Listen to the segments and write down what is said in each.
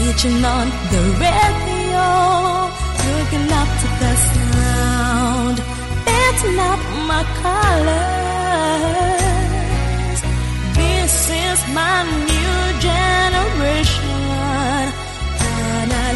Switching on the radio, looking up to the sound. That's not my colors. This is my new generation. Canal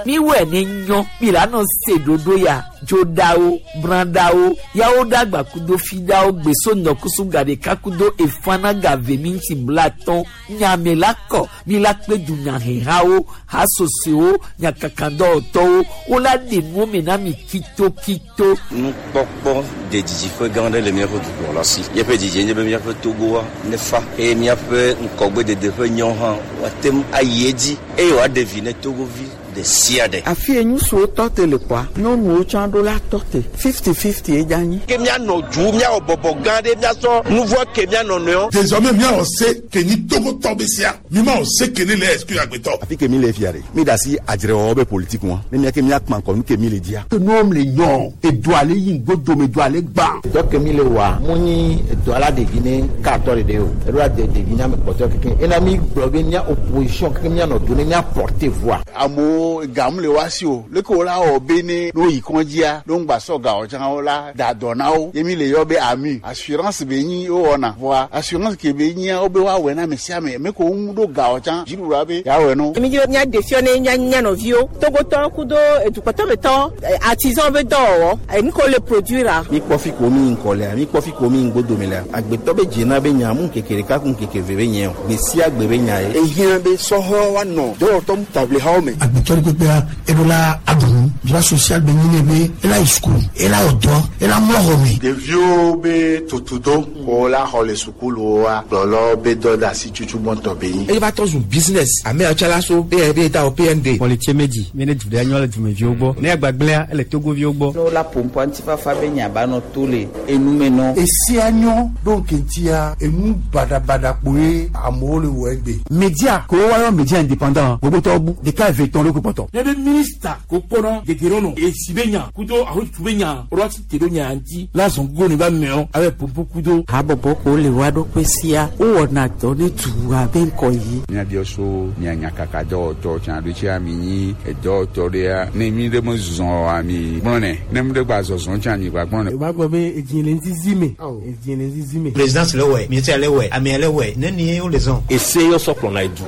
Miwɔe ne nyɔ mi la nɔ se ɖoɖo ya dzoɖawo brãɖawo yawo ɖagba kudo fiɖawo gbeso ŋdɔkusu gaɖeka kudo efana gave mi ŋuti blatɔn nyame la kɔ mi la kpe dunyahehawo hasosoewo nyakakadɔwɔtɔwo wola ɖe nuwo me na mi kitokito. Nukpɔkpɔ de didiƒe gã aɖe le míaƒe dukplɔla si. Míaƒe didie nye be míaƒe Togoa nefa eye míaƒe ŋkɔgbedede ƒe nyɔ hã woate ŋu ayi edzi eye wòaɖe vi ne Togovi ɖe sia ɖe. Afi ye ŋutsuwo tɔ te le kpɔa, nyɔnuwo tsã ɖo la tɔ te. 50-50 ye dze anyi. Ke míanɔ du, míawɔ bɔbɔ gã ɖe, míasɔ nu vɔ̃ ke mía nɔnɔewo. Désormais míawɔ se ke nyi Togotɔ be sea, mímawɔ se ke ne le exclure agbetɔ. Afi ke mi le fia ɖe, mi ɖe asi adzrewɔwɔ be politique ŋua, ne mía ke míakpã ŋkɔ nu ke mi le dzia. Ke nuwo le nyɔ, edoa le yi ŋgodome, edoa le gbã. Dɔ ke mi le wɔa, mu nyi edoa la ɖevi ne katɔ ɖeɖe o, eɖo la de ɖevi ne ame kpɔtɔe kekeŋ. Ena mi gblɔ be mía opposition kekeŋ míanɔ do ne mía porter voix. Amewo gam le woa si o, leke wo la wɔ be ne ne woyi kɔndzia, ne woŋgba sɔ ga o tsã wo la da dɔ na wo. Ye mi le yɔ be AMU, assurance be nyi wowɔna. Vɔa assurance ke be nyia wo be woawɔe na ame sia ame. Ame ke wo ŋu ɖo ga o tsã, dziɖuɖua be yeawɔe na wo. Mi dzi be míaɖe fiɔ ne mía mía nɔviwo, Togotɔwo kudo edukpɔtɔmetɔwo, artisan be dɔwɔwɔ, enu ke wole produire-a. Mi kpɔ fi ko mi ŋkɔ lea, mi kpɔ fi ko mi ŋgodome lea, agbetɔ be dzena be nya mu ŋkeke ɖeka ku ŋkeke ve be nye o, gbe sia gbe be nya ye. Ehiã be sɔhɛwo woanɔ dɔwɔtɔ ŋutaʋlihawo me. Agbetɔ ɖe kpekpea, eɖo la aɖu nu. Droit social be nyi nɛ be ela yi sukulu, ela wɔ dɔ, ela mlɔ xɔ me. Ɖeviwo be tutudo ko la xɔ le sukuluwoa, kplɔlawo be dɔdeasi tutu gbɔntɔ be nyi. Eye va trɔ zu business. Ame yawo tsã la so be be da wɔ PND. Kpɔlitse medzi mi ne du ɖe nyɔ le dumeviwo gbɔ. Ne agbagblẽa ele Togoviwo gbɔ. Ne wola ƒoƒoa ŋutifafa be nya ba nɔ to le enume nɔ. Esia nyɔ ɖo ŋkeŋtia enu baɖabaɖa kpoe amewo le wɔ egbe. Media ko woayɔ media indépendant gbogbotɔwo bu ɖeka eve tɔn ɖo ko kpɔtɔ. Ne be minista ko kpɔnɔ dedienɔnɔ esi be nya kudo ahotutu be nya woɖo asi te ɖo nya ŋuti la zɔn gogo ne ba mɛɔ abe popo kudo. Habɔbɔ ko le woa ɖokui sia wowɔna dɔ ne dua be ŋkɔ yi. Míabiɔ so mia nyakaka dɔwɔtɔ tsã ɖo tsia mi nyi edɔwɔtɔ ɖea ne mi ɖe me zɔn oa mi gblɔ nɛ ne mi ɖe gba zɔzɔn tsã mi gba gblɔ nɛ. O b'a gbɔ be edzi le ŋzizi me. Edzi le ŋzizi me. Présidence le wɛ, ministère le wɛ, amea le wɛ, ne ni wo le zɔn. Ese yɔ sɔ kplɔna edu.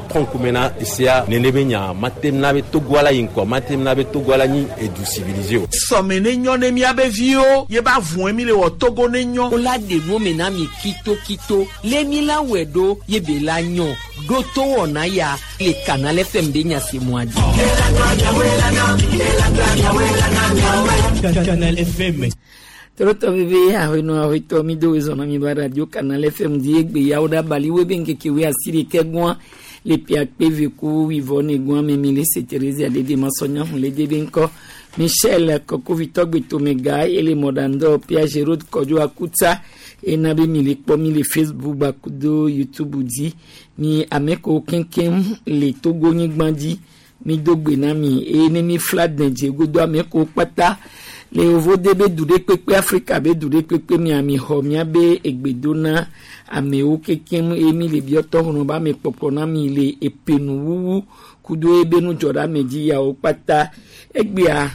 Trɔn kume na esea nene be nya mate na be Togo la yi ŋkɔ mate na be Togo la nyi edu civilisé o. Sɔme ne nyɔ ne miabe viwo ye ba vɔe mi le wɔ Togo ne nyɔ. Wola ɖe nuwo me na mi kitokito le mi la wɔe ɖo ye be la nyɔ ɖo to wɔna ya le Canal FM be nya se mɔa dzi. Canal FM. Torotɔ veve ahɔnɔ ahɔtɔ mi do wezɔn na mi ba radio Canal FM di egbe yawo ɖe abali wo be ŋkeke wo asi ɖeke gbɔa le pia kpe ve ku wivɔ ne gbɔa me mi le se Therese adede masɔnya hun le de be ŋkɔ Michel Kɔkovitɔ gbetomega ele mɔɖandɔ Pia Gérard Kɔdzo Akutsa ena be mi le kpɔ mi le Facebook gbakudo YouTube dzi mi ame kewo keŋkeŋ le Togo nyigba dzi mi do gbe na mi eye ne mi fla dɛdze godo ame kewo kpata le yevo de be du ɖe kpekpe Afrika be du ɖe kpekpe mia mi xɔ mia be egbe do na amewo keŋkeŋ eye mi le biɔtɔ xɔnɔ be ame kpɔkplɔ na mi le epenuwuwu kudo ebe nudzɔɖeame dzi yawo kpata egbea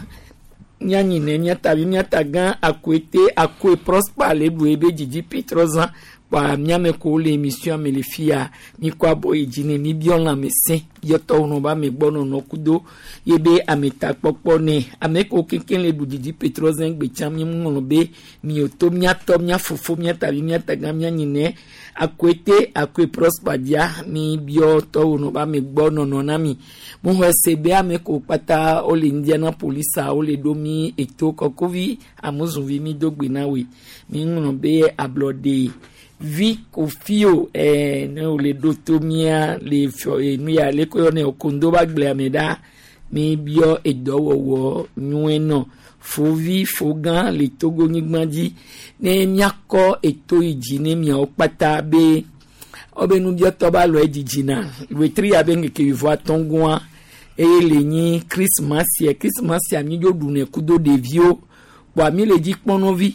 mianyi ne miatavi miatagã akoete akoe Prosper le ɖu ebe dzidzi Petrozã kpa miame ko le émission me le fia mi kɔ abɔ yi dzi ne mi biɔ lãmesẽ biɔtɔ xɔnɔ be ame gbɔ nɔnɔ kudo ye be ametakpɔkpɔ ne ame kewo keŋkeŋ le ɖu dzidzi Petrozã gbe tsã mi ŋlɔ be miwo to miatɔ mia fofo miatavi miatagã mianyi ne akoete akoe Prosper dzia mi biɔ tɔwo be ame gbɔ nɔnɔ na mi mo xɔ se be ame kewo kpata wole Indianapolis a wole ɖo mi eto kɔkɔvi amuzunvi mi do gbe na woe mi ŋlɔ be ablɔɖe vi kofio ne wole ɖo to mia le fiɔ nu ya le ko yɔ ne okondo ba gblea me ɖa mi biɔ edɔwɔwɔ nyuie nɔ fovi fogã le Togo nyigba dzi ne miakɔ eto yi dzi ne miawo kpata be wobe nubiɔtɔ ba lɔ edzidzi na wetri ya be ŋkeke wuieve atɔ̃ goa Eye le nyi Christmas Christmas mi dzo ɖunɛ kudo ɖeviwo. Kpoa mi le dzi kpɔnɔvi.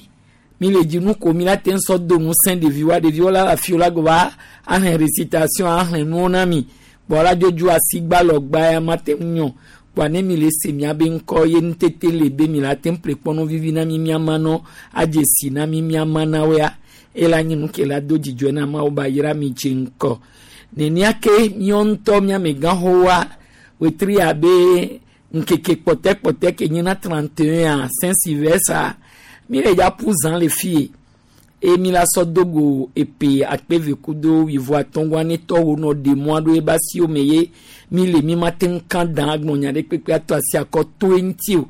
Mi le dzi nu ko mi la te ŋu sɔ do ŋusẽ ɖeviwoa ɖeviwo la afi la gova ahlẽ récitation ahlẽ nuwo na mi. Kpoa la dzodzo asigba lɔgba ya ma te ŋu nyɔ. Kpoa ne mi le se miabe ŋkɔ ye nutete le be mi la te ŋu ƒle kpɔnɔ vivi na mi miama nɔ adze si na mi miama na woa ela nye nu ke la do dzidzɔe na Mawu ba yra mi dze ŋkɔ. Nenia ke míawo ŋutɔ míamegãxowoa wetri abe ŋkeke kpɔtɛkpɔtɛ ke nye na 31 Saint Sylvestre mi le dza ƒu zã le fie eye mi la sɔ do go epe akpe kudo wuivo atɔ̃gɔa ne tɔwo nɔ ɖe mɔa ɖo ebe asiwo me ye mi le mi ma te ŋu kã dan agblɔ nya ɖe kpekpe atɔ asi akɔ to eŋuti o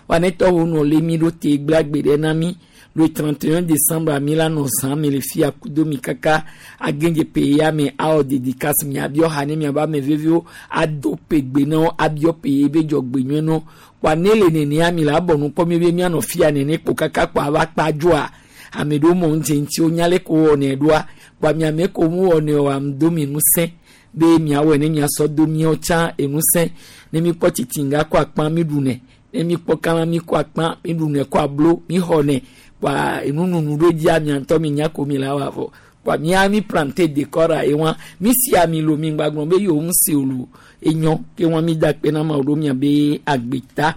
wa ne tɔwo nɔ le mi ɖo te gblẽ agbe ɖe na mi le 31 décembre mi la nɔ zã me le fia kudo mi kaka agɛdze pe ya me awɔ dédicace miabiɔ ha ne miabe ame veviwo ado pe gbe na wo abiɔ pe ye be dzɔgbe nyuie nɔ kpoa ne le nenea mi la bɔ nu kpɔ mi be mianɔ fia nene kpo kaka kpoa ava kpa dzoa ame ɖewo mɔ ŋdze ŋuti wonya le ko wɔnɛ ɖoa kpoa miame ko mu wɔnɛ o am do mi ŋusẽ be miawɔe ne miasɔ do miawo tsã enusẽ ne mi kpɔ tsitsinga kɔ akpa mi ɖunɛ ne mi kpɔ kama mi kɔ akpa mi ɖunɛ kɔ ablo mi xɔnɛ kpoa enununu ɖo dzia mia ŋutɔ mi nya ko mi la wɔ avɔ kpoa mia mi plante décor ye wa mi si ami lo mi gba gblɔ be yewo ŋu se o lo enyɔ ke wa mi da kpe na ma ɖo mia be agbeta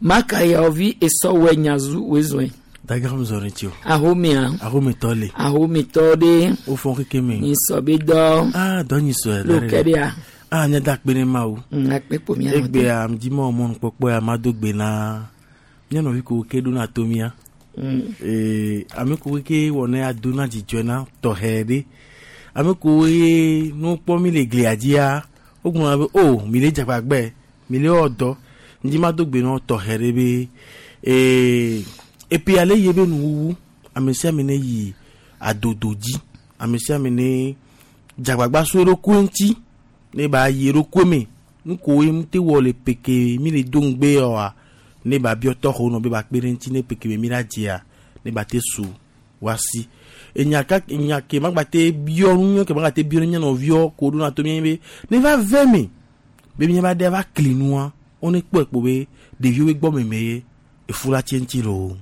maka yawovi esɔwɔ nyazu wezɔe. Dagram zɔre tsi o. Ahomea. Ahometɔ le. Ahometɔ ɖe. O fɔn keke me. Nyisɔ be dɔ. Aa dɔ nyisɔ yɛ. Ló kɛ ɖe ya. Aa nye da kpe ne ma o. Akpe kpo mia nɔ te. Egbea dzimɔ mɔnukpɔkpɔ ya ma do gbe na mía nɔvi ko ke ɖo na to mía. Ee ame ko ke wɔ ne ado na dzidzɔe na tɔxɛ ɖe. Ame ko ye nu kpɔ mi le glia dzia wogblɔna be o mi le dzagbagbe mi le wɔ dɔ ŋdzi ma do gbe na tɔxɛ ɖe be ee epi ale ye be nuwuwu ame sia ame ne yi adodo dzi ame sia ame ne dzagbagba so eɖokui ŋuti ne ba yi eɖokui me nu koe mu te wɔ le peke mi le do ŋugbe oa ne ba biɔ tɔxɔ nɔ be ba kpe ɖe ŋuti ne peke me mi la dzia ne ba te su wasi enya ka enya ke magba te biɔ nu ke magba te biɔ ne mía nɔviwo ko ɖo na to mía be ne va ve me be mía ba ɖe va kli nua wo ne kpɔe kpo be ɖeviwo be gbɔ meme ye efu la tse ŋuti loo.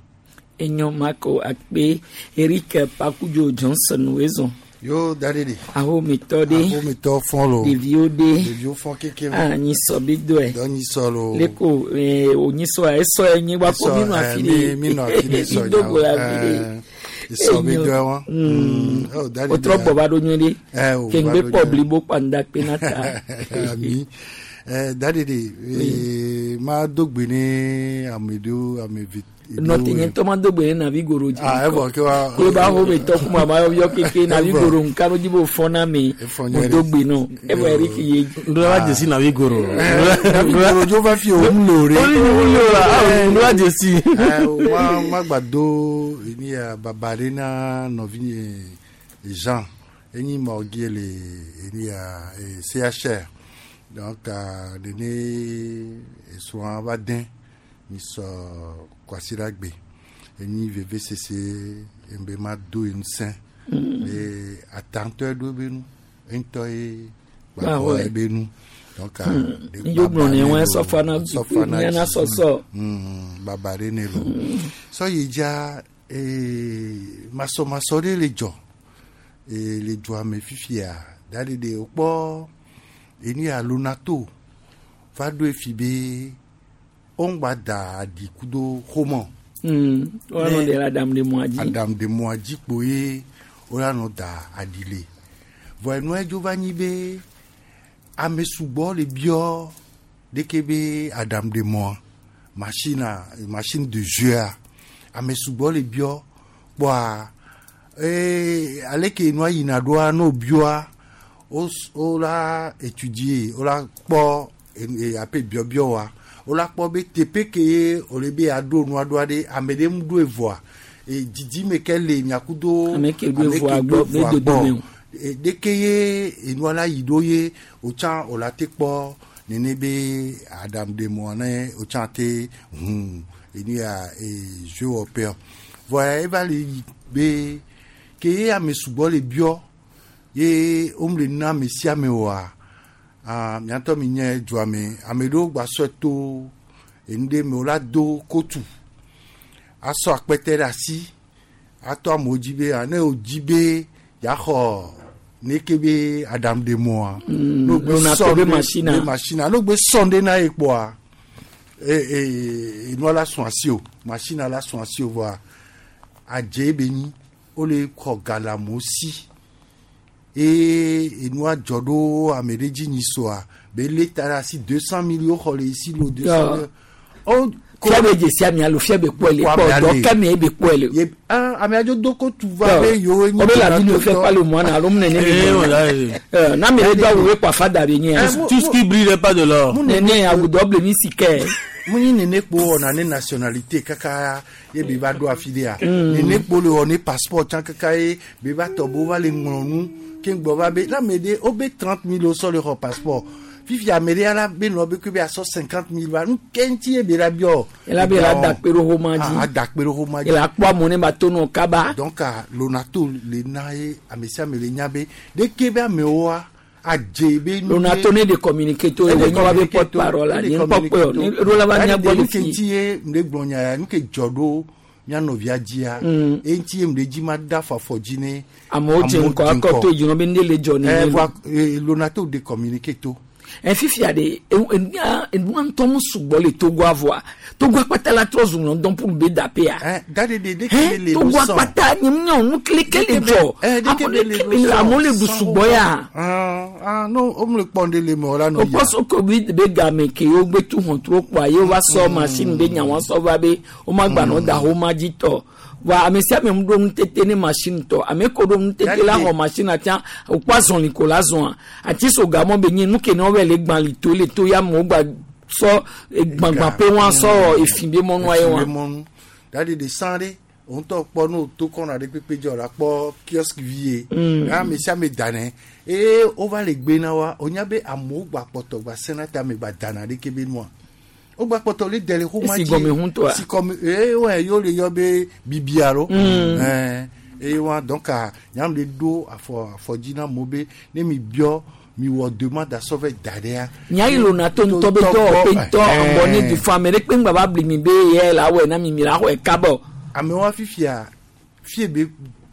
Enyo mako akpe Eric Pakudzo Johnson wezɔn. Yo dadede. Ahometɔ ɖe. Ahometɔ fɔn lo. Ɖeviwo ɖe. Ɖeviwo fɔn keke. Ah nyisɔ bi dɔe. Dɔ nyisɔ lo. Leko ee o nyisɔ esɔ ye nyi wa ko mi nɔ afi ɖe. Mi nɔ afi ɖe sɔ Mi do go le afi ɖe. Esɔ bi dɔe wa. O trɔ gbɔ va ɖo nyuie ɖe. Kengbe kpɔ blibo kpanda kpe na ta. Ami. Dadede. Ma do gbe ne ame ɖewo ame vi. Nɔte nye ŋutɔ ma do gbe ne navi goro dzi. Ah evɔ ke wa. Ko ba ho be tɔ kuma ma yɔ keke navi goro nka no dzi bo fɔ na me. Mo do gbe nɔ. Evɔ Eric ye. Ndo la dzesi navi goro. Navi goro dzo va fi o mu lo re. O ni mu lo la. Ndo la dzesi. Ma ma gba do ni ya baba ɖe na nɔvi nye Jean. Enyi morgue le ni ya CHR. Donc nene esrɔ̃a va dẽ mi sɔ kwasiɖagbe enyi veve sese ebe ma do ŋusẽ be atantɔ ɖo be nu eŋutɔ ye gbàgbɔ ebe nu donc yóò gblɔ ne wɔn sɔfana miana sɔsɔ. Baba ɖe ne lo sɔ yi dza masɔmasɔ ɖe le dzɔ le dzoa me fifia da ɖe ɖe wokpɔ enu ya lonato va ɖo efi be woŋgba da aɖi kudo xomɔ. Woanɔ ɖe la adam ɖe mɔa dzi. Adam ɖe mɔa dzi kpo ye woanɔ da aɖi le. Vɔ enua dzo va nyi be ame sugbɔ le biɔ ɖeke be adam ɖe mɔa machine machine de jeu a ame sugbɔ le biɔ kpɔa ee aleke nua yina ɖoa no biɔa wo la étudier wo la kpɔ ape biɔbiɔ wa wo la kpɔ be teƒe ke ye wòle be aɖo nua ɖoa ɖe ame ɖe ŋu ɖo evɔa didime ke le miakudo ame ke ɖo evɔa gbɔ be dodome o ɖeke ye enua la yi ɖo ye wotsã wòla te kpɔ nene be aɖaŋuɖemɔa ne wotsã te hu enu ya jeu wɔƒea vɔa eva le yi be ke ye ame sugbɔ le biɔ ye womle na ame sia ame oa Ah, miatɔ mi nye dua me ame ɖewo gba sɔe to enu ɖe me wola do kotu asɔ akpɛtɛ ɖe asi atɔ amewo dzi be ah, ne wodzi be yaxɔ neke be aɖaŋuɖemɔa ne wogbe lona sɔ to be ɖe- machine a. be machine a ne wogbe sɔ ɖe na ye kpɔa e e enua la sɔn asi o machine la sɔn asi o vɔa adze be nyi wole xɔ ga le amewo si eye enua dzɔ ɖo ame ɖe dzi nyi soa be lé ta ɖe asi 200 millions xɔ le esi lo 200 millions. O fia be dzesi amea lo fia be kpɔe le kpɔ dɔ kɛmɛ ye be kpɔe le. Ye ah ame adzo do ko tu va be yewo o be la vidéo fait pas le moine alo mu nene Eh, voilà, eh. na mi le do awu we kpa fada be nye. Tout ce qui brille n'est pas de l'or. Nene awu dɔ ble mi si kɛ. Mu nyi nene kpo wɔna ne nationalité kaka ye be va ɖo afi ɖea nene kpo le wɔ ne passeport tsã kaka ye be va tɔ bo va le ŋlɔ nu ke ŋgbɔ va be na ame ɖe wo be 30 000 wo sɔ le xɔ passeport fifi ame ɖe ala be nɔ be ke be asɔ 50 000 va nu ke ŋuti ye be la biɔ. Ela be la da kpe ɖo xoma dzi. Ah, ada kpe ɖo xoma dzi. Ela kpɔ amewo ne ba to nɔ kaba. Donc ah, lonato le na ye ame sia ame le nya be ɖeke be amewoa adze be. nu Lonato ɖe- ne de communiqué to ye Ele nye wa be communiqué porte to, parole la ele nye ŋkpɔ communiqué kpɔe o to. ne ɖo la va Ɛdi mía gbɔ le nu ke fi. ŋuti ye ŋɖe gblɔ nya ya nu ke dzɔ ɖo mía nɔvia dzia eye ŋuti ye ŋɖe dzi ma da afɔ afɔ dzi ne Amewo dze ŋgɔ akɔ to yi nɔ be ne le dzɔ Eh, nene. voa eh, Lonato de communiqué to. Ɛ fifia de enua enua ŋutɔ mu sugbɔ le Togo avoa Togo akpata la trɔ zu lɔndɔn pour be da pe ya. Da de de de ke le Togo lo sɔn. akpata nye mu nyɔ nu kele kele dzɔ Eh, de ke amewo be le le lo kele sɔn, amewo le ɖu sɔn sugbɔ ya. Ah, ah, no o mu le kpɔ ŋɖe le me o la nɔ o yia. kpɔ soko bi be game ke wo gbe tu hɔntro kpoa ye wova sɔ machine be nya wa sɔ va be wo ma gba nɔ da xoma dzi tɔ wa ame sia ame mu ɖo nutete ne machine tɔ ame ko ɖo nutete la xɔ machine atia o kpɔ azɔli ko la zɔa ati so gamɔ be nye nu ke ne wo bɛ le gbã li to le to ya me wo gba sɔ gbagbã pe wa sɔ efi be mɔnua ye wa. Efi be mɔnu. Da de de san ɖe o ŋutɔ kpɔ ne o to kɔna ɖe kpekpe dzi o la kpɔ kiosque vi ye. Ame sia ame danɛ eye wova le gbe na wa o nya be amewo gba kpɔtɔ gba sena ta ame gba dana ɖeke be nua o gba kpɔtɔ le dɛ le xoma Esi gɔme ŋutɔa? si gɔme eye wɔ ye le yɔ be bibia lo. Ɛɛ eye wa donc a nyanu le ɖo afɔ afɔ dzi na amewo be ne mi biɔ mi wɔ demande asɔ vɛ da ɖea. Nya yi lona to ŋutɔ be dɔwɔƒe ŋutɔ ŋgɔ ne du fɔ ame ɖe kpe ŋgba va bli mi be ye la wɔe na mi mi la xɔe kaba o. Amewo fifia fie be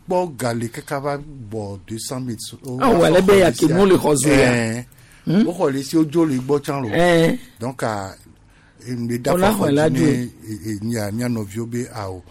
kpɔ ga le kaka va bɔ 200 000. Ah, wɔ ale be ya ke nu le xɔ zu ya. Woxɔ le si wodzo le gbɔ tsã lo. Ɛɛ. Donc a ŋɖe da Wola fɔ xɔe la dzi dzoe. ne mía mía nɔviwo be awo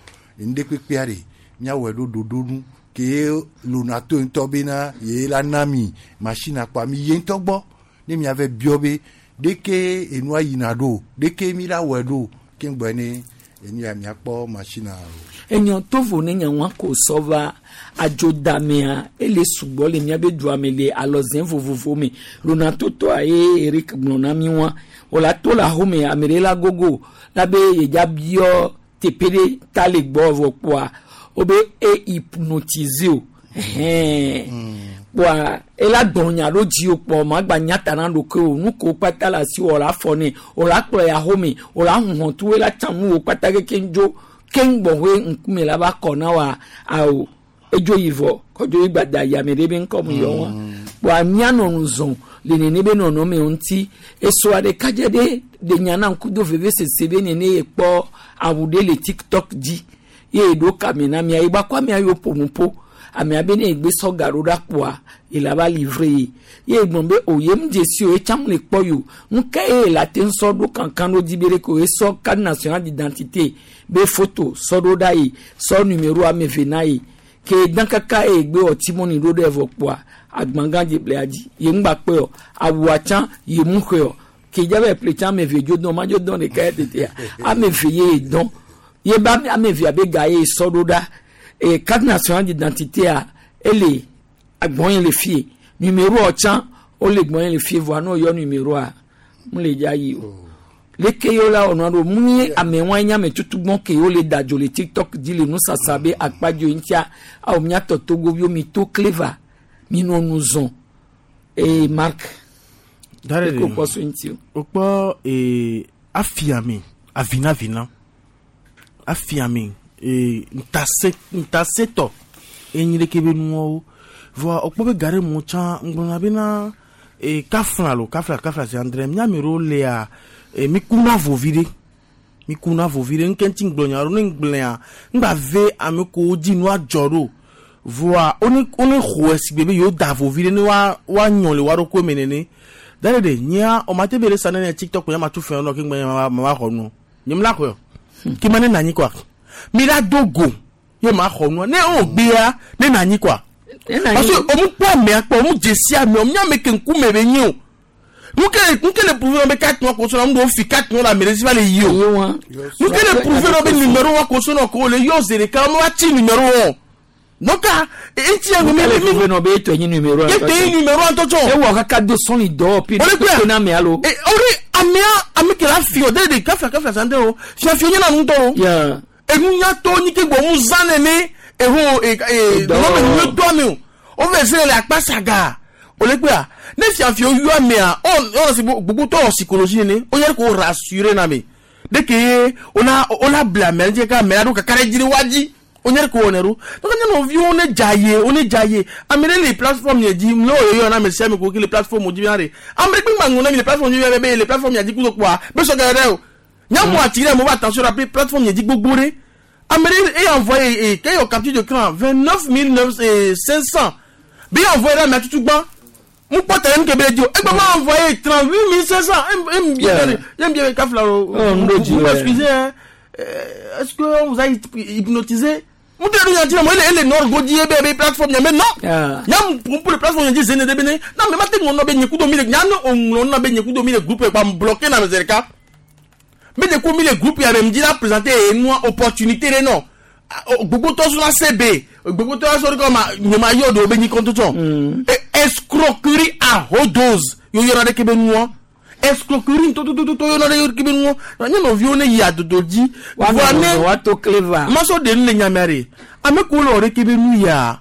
ŋɖe kpekpea ɖe míawɔe ɖo ɖoɖo nu ke lonato ŋutɔ bena ye la na mi machine akpa mi ye ŋutɔ gbɔ ne miave biɔ be ɖeke enua yina ɖo ɖeke mi la wɔe ɖo ke ŋgbɔ ne enu ya miakpɔ machine o. Enyɔ tovo ne nya wa ko sɔ va adzodamea ele sugbɔ le miabe dua me le alɔzẽ vovovo me lona totɔa ye Eric gblɔ na mi wa wòla to le ahome ame ɖe la gogo la be yedza biɔ teƒe ɖe ta le gbɔ vɔ kpoa wobe e hypnotiser o ɛhɛn kpoa ela gbɔn nya ɖo dzi o kpɔ ma gba nya ta na ɖokui o nu ko kpata le asi wò la fɔ nɛ wò la kplɔ ya home wò la huhɔtu ela tsa nu wo kpata kekeŋ dzo keŋ gbɔƒe ŋkume la va kɔ na wa awo edzo yi vɔ kɔdzo yi gbada yi ame ɖe be ŋkɔ mu yɔ wa kpoa mianɔ nu zɔn le nene be nɔnɔme ŋuti esɔa ɖeka dze ɖe ɖe nya na ŋku do veve sese be nene ye kpɔ awu ɖe le tiktok dzi ye ɖo kame na mia yi gbakɔ amea yiwo ƒo nu ƒo amea be ne egbe sɔ ga ɖo ɖa kpoa ye la va livre ye ye gblɔ be o ye mu dzesi o ye tsã mu le kpɔ yi o nu ka ye la te ŋu sɔ ɖo kankan ɖo dzi be ɖe ko ye sɔ carte nationale d'identité be photo sɔ ɖo ɖa yi sɔ numéro ame eve na yi ke dan kaka ye egbe wɔ timɔni ɖo ɖe vɔ kpoa agbagã dze ble dzi ye ŋgba kpe o awua tsã ye mu xɔe o ke dza be ƒle tsã ame eve dzo dɔn ma dzo dɔn ɖeka ya tetea ame eve ye dɔn ye be ame evea be ga ye sɔ ɖo ɖa e carte nationale d'identité a ele agbɔn yi le fie numéro tsã wole gbɔn yi le fie voa ne woyɔ numéroa mu le dza yi o leke yewo la wɔnua ɖo mu nye ame wa nye ame tutugbɔn ke yewo le da dzo le tiktok dzi le nusasa be akpadzo ŋutia awo miatɔ togoviwo mi to clever mi nɔ nu zɔn eye mark Dare eko kpɔ so ŋuti o. Okpɔ ee afiame avinavina afiame ee ntase ntasetɔ enyi ɖeke be nuwɔwo vɔa okpɔ be ga ɖe mo tsã ŋgblɔna bena E kafla lo kafla kafla zi andre miame ɖewo lea e mi kuna vovi ɖe mi kuna vovi ɖe ŋke ŋuti ŋgblɔ nya ɖo ne ŋgblɔa ŋgba ve ame kewo dzi nua dzɔ ɖo voa wone wone xɔe si gbe be yewo da vovi ɖe ne wa woanyɔ le wa ɖokui me nene da ɖe nyea o ma te be ɖe sa ne TikTok nya ma tu fɛn nɔ ke ŋgbe ma ma xɔ nu nye mu la xɔe o ke ma ne na anyi kɔa mi la do go ye ma xɔ nua ne o gbea ne na anyi kɔa parce que o mu kpɔ amea kpɔ o mu dze si amea o mu nya ame ke ŋkume be nye o nuke nuke le prouver be carte wa kosona mu do fi carte wa la ame ɖe si va le yi o nuke le prouver be numéro wa kosona ko le yɔ zi ɖeka mo va tsi numéro wa donc eti ya mi mi mi nɔ be etɔ nyi numéro etɔ nyi numéro ŋutɔ tsɔ ewɔ kaka do sɔn dɔ pi o le na amea lo o de amea ame ke la fi o de de kafla kafla san de o fiafia nye na ŋutɔ o enunyatɔ nyi ke gbɔ mu zã nene eho e nɔnɔme nyuie tɔ ame o o fɛ se le akpa saga o le kpea ne fiafia yɔ amea ɔ ɔ si gbogbo tɔ psychologie nene o yɛrɛ k'o rassurer na me de ke o la o la bila amea ŋuti ka amea ɖo kaka ɖe dzi ɖe wa dzi o nyɛ ko wɔnɛ ɖo donc nye nɔviwo ne dza ye o ne dza ye ame ɖe le plateforme yɛ dzi ne o yɔ na ame sia ame ko ke le plateforme dzi bia ɖe ame ɖe kpe ŋu na mi le plateforme dzi bia be le plateforme yɛ dzi kudo kpoa be sɔ gɛrɛ o nyamu ati ɖe mo va attention la plateforme yɛ dzi gbogbo ɖe ame ɖe eye envoyé e ke yɔ capture d'écran 29 500 be envoyé ɖe amea tutu gbã mo kpɔ tɛlɛ nu ke be le di o egbe ma envoyé 38 500 em bien em bien kafla o vous m'excusez hein, est-ce que on vous a hypnotisé? Mu tɛ yan tina mo ele ele nord go di ebe ebe plateforme nya mais non nya mu pour le plateforme nya di zene de bene non mais ma te ŋlɔ be nye kudo mi le nya ne o ŋlɔ na be nye kudo mi le groupe kpa bloqué na zereka me de ko mi le groupe ya me di la présenter enua opportunité de non gbogbo tɔ so la sebe gbogbo tɔ so de ma nye ma yɔ do be nyi kɔntɔ tsɔ escroquerie à haute dose yo yɔrɔ de ke be nua escroquerie totototo yɔrɔ de ke be nua nye nɔviwo ne yi adodo dzi voa ne wato cleva masɔ de nu le nyamea de ame ko le wɔ ɖe ke be nu ya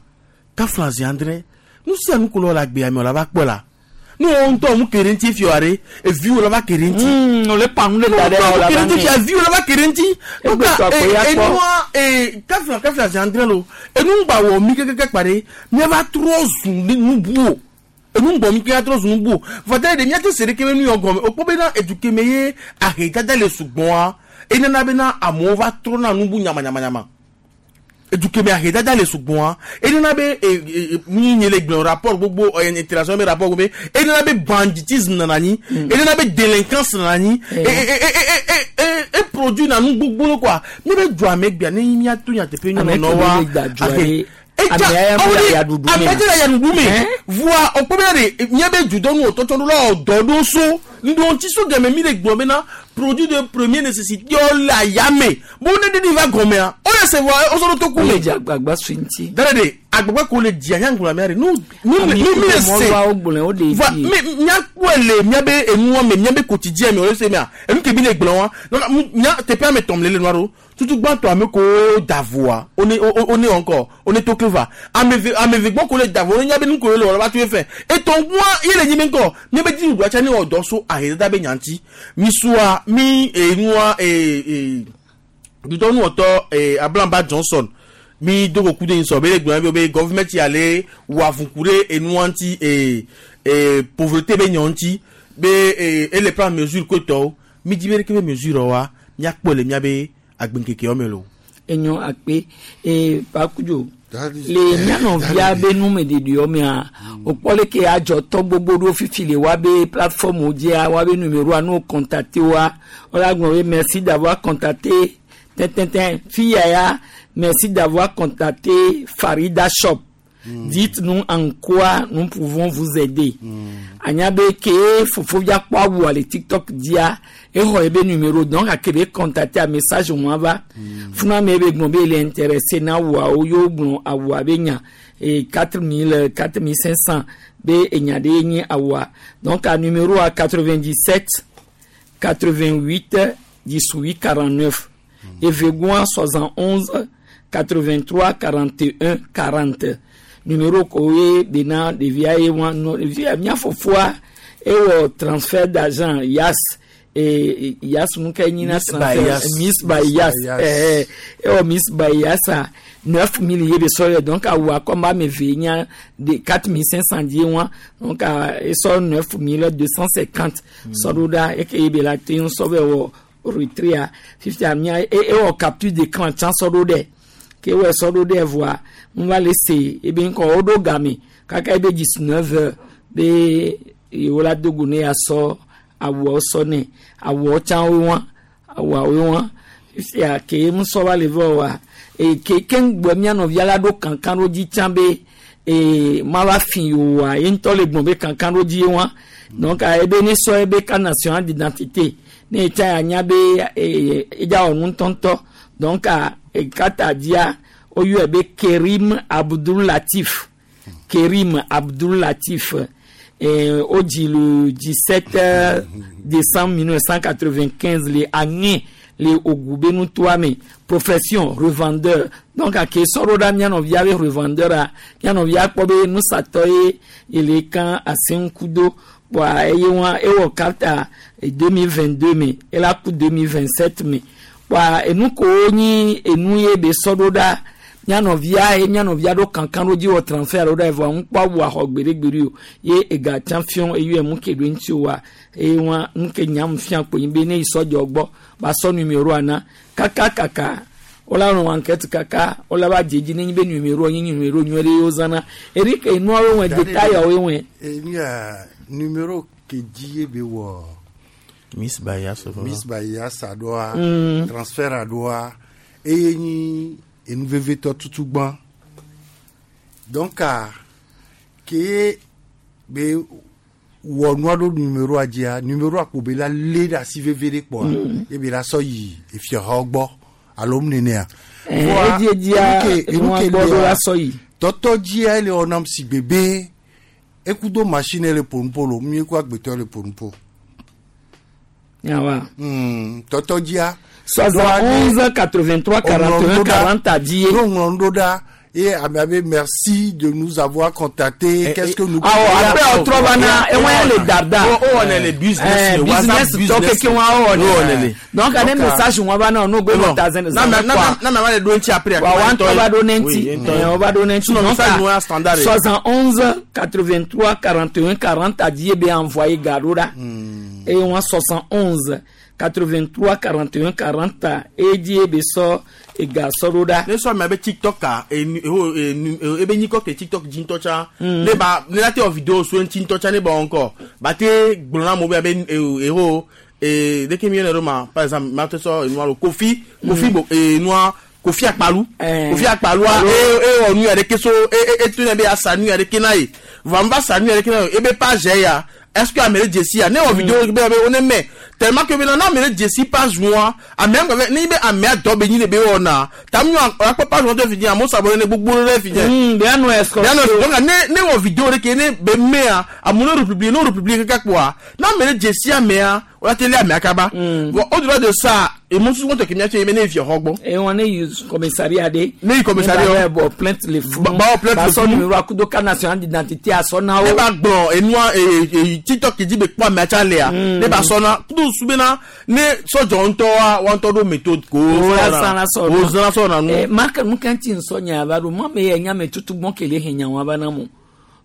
kafla zi andre nu sia nu ko le wɔ le agbea me o la va kpɔ la nu wɔn ŋutɔ mu kere ŋuti fi wa ɖe eviwo la va kere ŋuti. O le pa nu le da ɖe o la va ŋu fia viwo la va kere ŋuti. Donc enua kafla kafla zi andre lo enu ŋgba wɔ mi kekeke kpa ɖe miava trɔ zu nu bu o enu ŋgbɔ mi keke trɔ zu nu bu o vɔtɛ de miate se ɖeke be nu yɔ gɔme o kpɔ bena eduke me ye ahedada le sugbɔa enana bena amewo va trɔna nu bu nyamanyamanyaman edukeme ahedada le sugbɔa enana be mi nye le gblɔ rapport gbogbo interaction be rapport gbogbo enana be banditisme nana anyi enana be délinquance nana anyi e produit na nu gbogbo quoi mi be du ame gbea ne miato nyateƒe nyɔnɔ wa ame dze le yaɖuɖu me voa okpɔ bena de nye be dudɔnu wòtɔtsɔ ɖo la ɔdɔ ɖo so ŋdɔntsi so gɛmɛ mi le gblɔ bena produit de première nécessité le ayame bo ne ɖeɖi va gɔmea o le se voa o sɔ ɖo to ku me. O le dze agbagba sui ŋuti. Dara de agbagba ko le dzia nyaŋgblɔ amea de nu nu mi mi le se voa mi miakpɔe le miabe enua me miabe quotidien me o le se mea enu ke mi le gblɔ wa donc mia teƒe ame tɔm le le nua ɖo tutu gbãtɔ ame ko da voa one one encore one to cleva ame eve gbɔ ko le da vo one nya be nu ko le wɔ la va tu fɛ etɔn gbɔa ye le nyi be ŋkɔ mi be dzi ɖua tsa ne wɔ dɔ so ahedada be nyanti mi sua mi enua ee dudɔnuwɔtɔ ee Ablamba Johnson mi do ko ku de nsɔ be le gblɔ be government ya le wɔ avuku ɖe enua ŋuti ee ee pauvreté be nya ŋuti be ee ele prend mesure ko tɔwo mi dzi be ɖeke be mesure wa miakpɔ le miabe agbeŋkekewo me lo. Enyo akpe ee pakudzo le mianɔvia be numeɖeɖewo mea wòkpɔ leke adzɔtɔ gbogbo ɖewo fifi le woabe plateforme dzia woabe numéroa ne wo contacté woa wola gblɔ be merci d'avoir contacté tɛntɛntɛn fia ya, merci d'avoir contacté Farida Shop. Dites-nous en quoi nous pouvons vous aider. Anya be ke fofo via kpɔ awua le TikTok dzia exɔ ebe numéro donc ake be contacter a message wɔn va funa me be gblɔ be ele intéressé na awuawo yewo gblɔ awua be nya et 4000 4500 be enya ɖe nye awua donc a numéro a 97 88 18 49 evegua 71 83 41 40 numéro ko ye bena ɖevia ye wa nɔ ɖevia mía fofoa ewɔ transfert d'argent yas. Yas nu ka nyi na Miss Bayas. Miss Bayas. Bayas. Ewɔ Miss Bayasa 9000 ye be sɔ yɛ. Donc awua kɔm ame eve nya de 4500 die wa. Donc esɔ 9250 sɔ ɖo ɖa eke ye be la te ŋu sɔ bɛ wɔ retrait fifia mia ewɔ capture d'écran tsã sɔ ɖo ɖɛ ke wɔ sɔ ɖo ɖɛ voa n va le se ebe ŋkɔ woɖo game kaka ebe 19 heures be yewo la dogo ne ya sɔ awuawo sɔ nɛ awuawo tsã wo wa awuawo wa fifia ke ŋu sɔ va le vɔ wa e ke ke ŋgbɔ mia nɔvia la ɖo kankan ɖo dzi tsã be ee ma va fi yi wa ye ŋutɔ le gbɔn be kankan ɖo dzi ye wa. Donc ebe ne sɔ ebe carte nationale d'identité ne etsa ya nya be ee edza wɔ nu ŋutɔŋutɔ. Donc kata dzia woyɔe be Kerim Abdul Latif, Kerim Abdul Latif. Wodzi le 17 décembre 1995 le Aŋe le Ogu be nutoa me. Profession, revendeur. Donc ake sɔɖo ɖa mía nɔvia be revendeur a mía nɔvia kpɔ be nusatɔ ye ele kan aseŋku do kpɔa eye wa ewɔ carte 2022 me ela ku 2027 me kpɔa enu kowo nyi enu ye be sɔɖo ɖa mía nɔvia ye mía nɔvia ɖo kankan ɖo dzi wɔ transfert ɖo ɖa evɔ ŋu kpɔ awu axɔ gbeɖegbeɖe o ye ega tsã fiɔ eyi emu ke ɖo ŋuti o wa eye wa nu ke nyam fia kpo nyi be ne yi sɔdzɔ gbɔ ba sɔ numéro ana kaka kaka wola nɔ enquête kaka wola va dzedzi ne nyi be numéro nyi numéro nyuie ɖe yewo zãna Eric enuawo wɔ détail wo wɔ. Enu ya numéro ke dzi ye be wɔ. Miss Bayas. Miss Bayas aɖoa transfert aɖoa eye nyi enu vevitɔ tutu gbã. Donc ke be wɔ nua ɖo numéroa dzia numéroa kpo be la lé ɖe asi veve ɖe kpɔa ye be la sɔ yi efiahawo gbɔ alo mu nenea. Edzi edzia enua gbɔ ɖo la sɔ yi. Tɔtɔ dzia ele wɔnam si gbebe ekudo machine le ƒonuƒo lo mi eku agbetɔ le ƒonuƒo. Yawa. Tɔtɔ dzia. 71 83 41 40 dzi ye. No ŋlɔ nu ɖo ɖa et ame abe merci de nous avoir contacté. Qu'est-ce que nous. Awɔ après ɔtrɔ va na ewɔn le dada. O wɔnɛ le business. Business tɔ keke wɔn awɔ ne. Donc ane message wɔn va na ɔnu gbe nɔ ta zɛn zɛn kwa. Na ma le do ŋuti après. Wa wa ŋutɔ va do ne ŋuti. O va do ne ŋuti. Sinon message nous standard. 71 83 41 40 dzi ye be envoyé ga ɖo ɖa. Eye wɔn 71 83 41 40 eye dzi ye be sɔ ega sɔ ɖo ɖa. Ne sɔ ame be TikTok a enu eho enu ebe nyikɔ ke TikTok dzi ŋutɔ tsã ne ba ne la te wɔ vidéo so ŋuti ŋutɔ tsã ne ba wɔ ŋkɔ ba te gblɔ na amewo be abe eho ee ɖeke mi yɔnɛ ɖo ma par exemple ma te sɔ enua lo Kofi Kofi bo enua Kofi Akpalu Kofi Akpalua e e wɔ nu ya ɖeke so e e eto ne be asa nu ya ɖeke na ye vɔ ame va sa nu ya ɖeke na ye ebe page ya est-ce que ame ɖe dzesi ya ne wɔ vidéo be be wo ne mɛ tellement que bena na ame ɖe dzesi page nua amea ŋgɔ ne nyi be amea dɔ be nyi le be wɔna ta mi akpɔ page nua to fi dzi amewo s'abonné ne gbogbo ɖe fi dzi. Be anɔ escroc. Be anɔ donc ne wɔ vidéo ɖe ke ne be mɛa amewo ne republier ne republier kaka kpoa na ame ɖe dzesi amea wòle te lé amea kaba. Bon, au-delà de ça emosusu ŋutɔ ke mía tse ye be ne yi fiaxɔ gbɔ. Eye wɔn ne yi commissariat de. Ne yi commissariat. Ne ba bɔ plainte le funu. Ba bɔ plainte le Ba sɔ funu. Numéro akudo carte nationale d'identité asɔ na wo. Ne ba gblɔ enua ee TikTok dzi be kpɔ amea tsa lea ne ba sɔ na kudo su bena ne sɔdzɔ ŋutɔa wa ŋutɔ ɖo méthode ko. O la san la sɔ o zan la sɔ na nu. Mark nu kan ti nsɔ nya ava ɖo mɔ me yɛ nya me tutu gbɔn kele he nya wa va na mo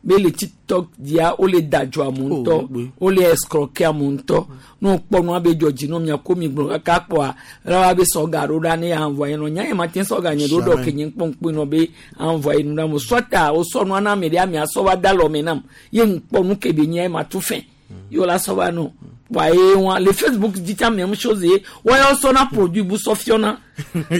be le TikTok dia wo le da dzɔ amewo ŋutɔ wo le escroquer amewo ŋutɔ ne wokpɔ nua be dzɔ dzi na mia ko mi gblɔ kaka kpɔa la wa be sɔ ga ɖo ɖa ne envoyer nɔ nya ye ma te sɔ ga nye ɖo ɖɔ ke nye kpɔ ŋkpɔ nɔ be envoyer nu ɖa mo soit a wosɔ nua na ame ɖe amea sɔ va da lɔ me nam ye ŋkpɔ nu ke be nye ma tu fɛn ye la sɔ va nɔ wa ye wa le Facebook dzi tsa même chose ye wa yɔ sɔ na produit bu sɔ fiɔna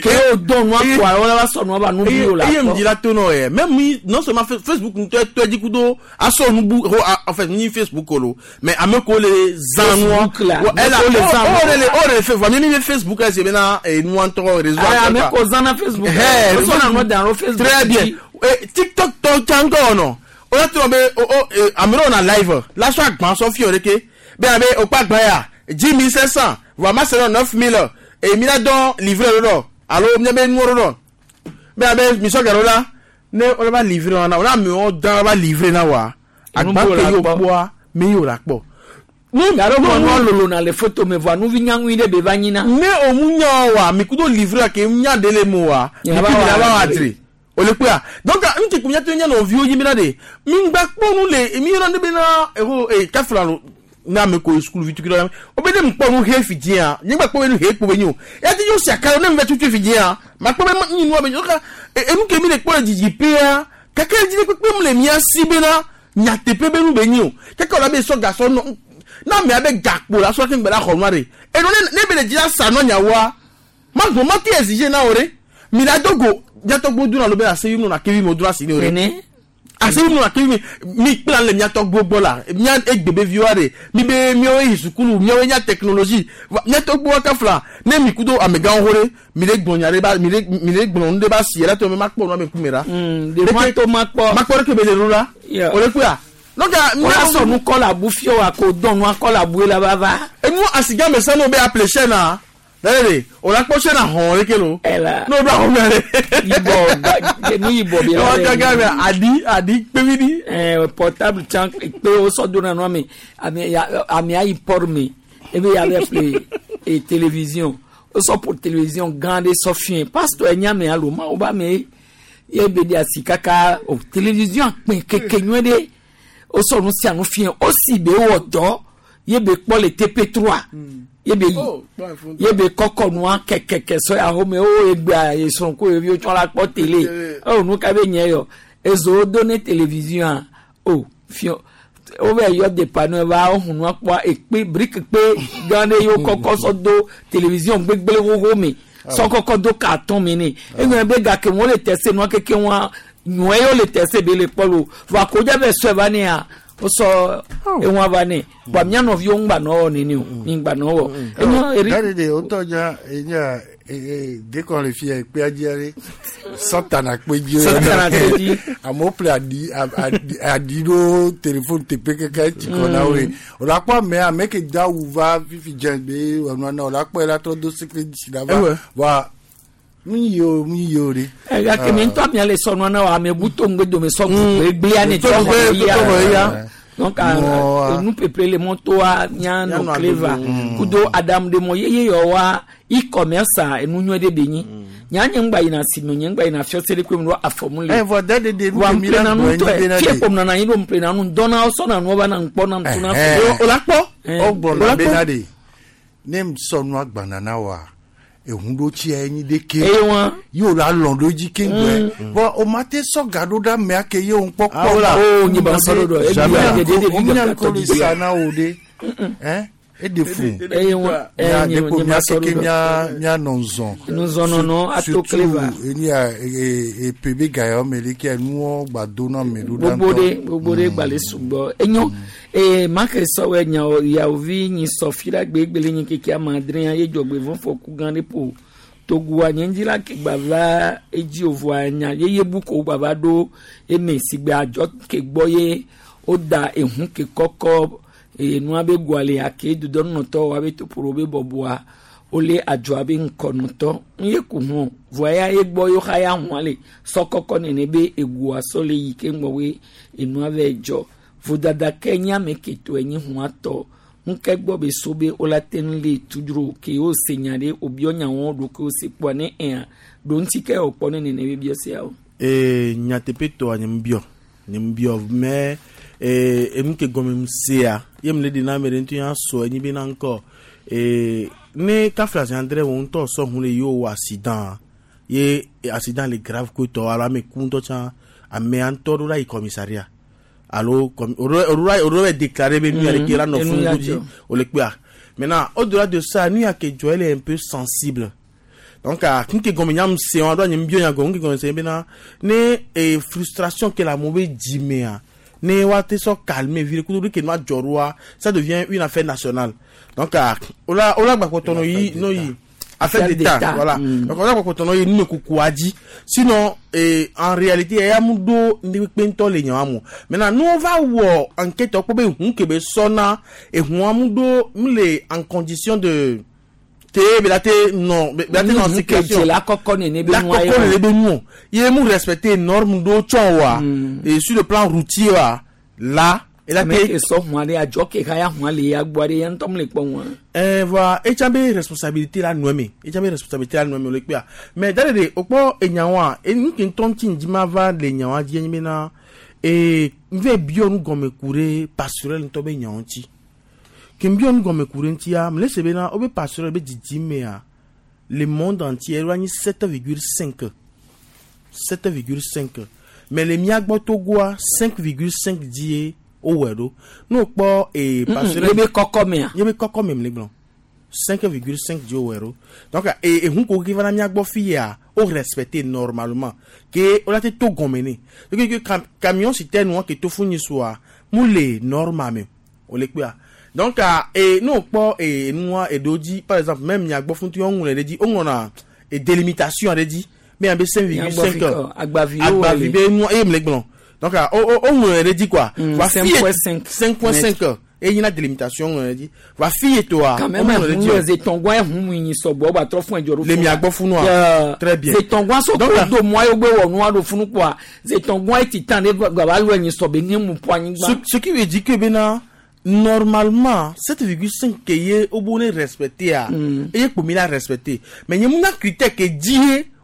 ke o dɔn nua kpɔa wala va sɔ nua ba nu bi o la eye kpɔ. ŋdi la to nɔ yɛ même mi non seulement Facebook ŋutɔ tɔ dzi kudo asɔ nubu ho en fait ni Facebook o lo mais ame ko le zã nua Facebook la, Wa- elle a ame ko le zã o nua. o le o le fe mi mi Facebook ɛsɛ bena enua ŋutɔ réseau Ah, ŋutɔ ame quoi. ko zã na Facebook. Hɛ, O sɔ na nua da ɖo Facebook très bien. dzi. TikTok tɔ tsã ŋutɔ nɔ o la tɔ be o o ame ɖewo na live la sɔ agban sɔ fi o ɖeke be abe o kpa agban ya 10 500 voa ma se nɔ 9000 et mi la dɔn livrer ɖo ɖɔ alo mi be nuwo ɖo ɖɔ be abe mi sɔ gɛ ɖo la ne o la va livrer na o la amewo dan va livrer na wa Enu agban bo ke la yi o kpɔ. kpɔa mi yi o la kpɔ. Garo mɔ nua lolo na le foto me vɔa nuvi nyaŋui ɖe be va nyina. Ne o mu nya wa mi kudo livre ke nya de le mo wa. Mi Yaba ku wa mi ba wa adre. adre. O le kpea. Donc n ke nya to nya no viwo yi mi na de. Mi ngba kpɔ nu le mi yɔrɔ ne be na eho e kafla lo na me ko school vi tukiro o be ne mkpɔ nu he fi dia nye gba kpɔ be nu he kpo be nyo ya ti yo sia ka ne me tutu fi dia ma kpɔ be nyi nu be nyo ka enu ke mi le kpɔ le dzidzi pea kake dzi le kpekpe mu le mia si be na nyateƒe be nu be nyi o kake wòle be sɔ gasɔ nɔ na amea be gakpo la sɔ ke ŋgbe la xɔ nua ɖe enu ne ne be le dzi la sa nɔ nyawoa ma gbɔ ma te exige na wo ɖe mi la do go miatɔgbo dona lo be ase yi nɔ na kevi mo dona si ne o ɖe Nene. ase yi nɔ na kevi mi mi kpla le miatɔgbo gbɔ la mia egbe be viwa ɖe mi be miawo yi sukulu miawo nya technologie Va- miatɔgbo wa kafla ne mi kudo amegãwo ho ɖe mi le gblɔ nya ɖe ba mi le mi le gblɔ nu ɖe ba si yɛrɛ tɔ me ma kpɔ nua me kume ɖa. de ma to ma kpɔ. ma kpɔ ɖe ke be le ɖo la. Yeah. O le kpea. Donc Wọ́n sọ nu kọ́ la bu fiɔ wa kò dɔn nu akɔ la bu la va va. Enu asiga me sanu be aple chaîne a. Lẹ́yìn o la kpɔ chaîne a hɔn leke lo. Ɛla. N'o do a hɔn mɛ Yibɔ ba nu yibɔ bi la. Ɔ gángan mɛ adi adi kpevi di. Ɛɛ portable can kpe o sɔ donna nua mi ame ya ame ayi port mi ebe ya bɛ ƒle e télévision o sɔ pour télévision gã ɖe sɔ fiɛ pasteur enya me alo ma o ba me ye be de asi kaka o télévision kpɛ keke nyuie ɖe o sɔ nu sia nu fiɛ o si be wɔ dɔ ye be kpɔ le TP3 ye be yi ye be kɔkɔ nua kɛkɛkɛ sɔ ya xɔme o egbea esrɔ̃ ko yeviwo tsɔ la kpɔ télé o nu ka be nye yɔ ezowo do ne télévision a o fiɔ wo bɛ yɔ de panneau va wo hun nua kpɔa ekpe brique kpe gã ɖe yewo kɔkɔ sɔ do télévision gbegble xoxo me sɔ kɔkɔ do carton me ne eŋlɔ be gake wo le tɛse nua keke wa nyɔɛ yewo le tɛse be le kpɔ lo vɔ akodza bɛ sɔe va nea wosɔ eŋua va ne bɔn mía nɔviwo ŋgba nɔ wɔ nene o mi ŋgba nɔ wɔ enyo eri Dade de o tɔ dza enya dekɔ le fia ekpea dzia ɖe sɔtana kpe dzi. Sɔtana kpe dzi. Amewo ƒle aɖi aɖi aɖi ɖo telefone teƒe keke etsi kɔ na wo. O la kpɔ ame ame ke do awu va fifi dze be enua na o la kpɔ la trɔ do sikiri dzi la va. Ewe. Wa nu yi o nu yi o de. gake mi ŋutɔ mia le sɔnua na wa ame bu to ŋgbe dome sɔ gbegblea ne To ŋgbe- tɔ to ŋgbe ya. donc Mɔ- enu peple le mɔtoa mia Mia nɔ nɔ cleva adodo. kudo adamu ɖe mɔ yeye yɔ wa e-commerce a enu nyuie ɖe be nyi nya nye ŋgba yina asime nye ŋgba yina fiɔse ɖe kpe mu ɖo afɔmu le Eh, vɔ dade de nu wa ke mi la ŋplena nu gblɔ tɔe enyi bena fie de. kpom nana anyi ɖo ŋplena nu dɔna sɔna nua va na ŋkpɔ na ŋtuna Ɛhɛn. O la kpɔ. O gblɔna bena de ne sɔ nua gbana na wa ehun ɖo tsia enyi ɖeke. Eye wa. Ye o la lɔn ɖo dzi keŋgbɛ. Bɔn o ma te sɔ ga ɖo ɖe amea ke ye o ŋkpɔ kpɔ. Ah, wola. Oh, nye ba sɔ ɖo ɖo. Ebi ya dede ɖevi O mi gaka ko le tɔ sa na o de. Ɛn e de fu. Eye wa. Mia Eh, nye de ko nye mia ma sɔ keke ɖo ɖo. mia mia nɔ zɔn. Nuzɔnɔnɔ ato cleva. Eni ya e e pe ga yɔ me le kia nuwɔ gba do na me ɖo ɖa gbogbo ɖe gbogbo ɖe gbalẽ sugbɔ enyo ee make sɔwɔ nyawo yawovi nyi sɔ fi la gbegbele nyi keke ame adre ye dzɔgbe vɔfɔ ku gã ɖe ƒo togua nye ŋdzi la ke gba va edzi ovoa nya yeye bu ko gba va ɖo eme si gbe adzɔ ke gbɔ ye woda ehu ke kɔkɔ ee nua be goa le ake dodɔnunɔtɔ wa be toporo be bɔbɔa wole adzɔa be ŋkɔnɔtɔ n ye ko hɔn vɔa ya ye gbɔ yewo xa ya hɔn le sɔ kɔkɔ nene be egoa sɔ le yi ke ŋgɔ be enua vɛ dzɔ vodada ke nye ame ke to enyi hɔn atɔ ŋkɛ gbɔ be so be wola te ŋu le tudro ke wo se nya ɖe wobiɔ nyawo ɖo ke wo se kpɔa ne ɛa ɖo ŋuti ke wòkpɔ ne nene be biɔ siawo. Ee nyateƒe tɔa nye ŋbiɔ nye ŋbiɔ mɛ ee enu ke gɔme ŋu sea ye mu le ɖe na ame ɖe ŋutɔ ya sɔ enyi be na ŋkɔ ee ne kafla zi andre wo ŋutɔ sɔ hun le ye wò accident ye accident le grave ko tɔ alo ame ku ŋutɔ tsã amea ŋutɔ ɖo la yi commissariat alo com o ɖo la o ɖo bɛ déclarer be nu ya ɖeke la nɔ Enu funu ya dzi dzɔ. o le kpea maintenant au delà de ça nu ya ke dzɔ elle est un peu sensible donc ah nke gɔme nya se wa ɖo nye bio nya gɔme nke gɔme se bena ne e frustration ke la amewo be dzimea ne wa te sɔ calmer vi ɖe kudo ɖe ke nua dzɔ ɖoa ça devient une affaire nationale donc ah wola wola gbakpɔtɔ no yi no yi affaire d'état voilà donc wola gbakpɔtɔ no yi numekukua dzi sinon eh, en réalité eya mu ɖo ŋdekpekpe ŋutɔ le nyawa mo maintenant ne wova wɔ enquête kpɔ be ʋu ke be sɔna eʋua mu ɖo mu le en condition de te be la te nɔ be la te nɔ Hu ke situation dze la kɔkɔ nene be la nua kɔkɔ ye le be nu o ye mu respecter norme ɖo tsɔ wa et sur le plan routier wa là Ela Ame te ke sɔ hun aɖe adzɔ ke xa ya hun le ya gbɔ aɖe ya ŋutɔ mele kpɔ ŋua. Eh, voa etsa be responsabilité la nɔe me etsa be responsabilité la nɔe me o le kpea mais da ɖe o kpɔ enyawoa enu ke ŋutɔ ŋuti ŋdi ma va le nyawoa dzi enye bena ee nve biɔ nu gɔme ku ɖe pastorel ŋutɔ be nyawo ŋuti ke biɔ nu gɔme ku ɖe ŋutia mele se bena wobe pastorel be didimea le monde entier eɖo anyi 7,5 7,5 mais le mía gbɔ Togoa 5,5 dzie wowɔe ɖo ne wokpɔ ee pastorel Yebe kɔkɔ mea. Yebe kɔkɔ me mle gblɔ 5,5 dzie wowɔe ɖo donc ee ehun ko ke va na mía gbɔ fi ya o respecté normalement ke wola te to gɔme ne donc ke cam camion citerne wa ke to fún nyisua mu le normal me o le kpea donc ee ne wokpɔ ee nua eɖewo dzi par exemple même mía gbɔ fún ti woŋlɔe ɖe dzi woŋlɔna e délimitation aɖe dzi be yan be 5,5 Mía agbavi wo agbavi be nua eye mle gblɔ donc o o woŋlɔe ɖe dzi quoi Va fi ye- 5,5 5,5 eye nyina délimitation ŋlɔe ɖe dzi va fi ye toa Quand même, woŋlɔe ɖe dzi o. zetɔngua ehun mu nyi sɔgbɔ ba trɔ fún ɛdzɔ ɖo Le mia gbɔ funu a? Très bien. Zetɔngua so Donc, ko do mɔ ayo gbe wɔ nua ɖo funu kpoa zetɔngua eti tan ɖe gba lu enyi sɔbe ne mu ƒu anyigba. Ce qui veut dire que maintenant, normalement, 7,5 ke ye au bon respecté a, et pour la respecté. Mais il y a un critère qui dit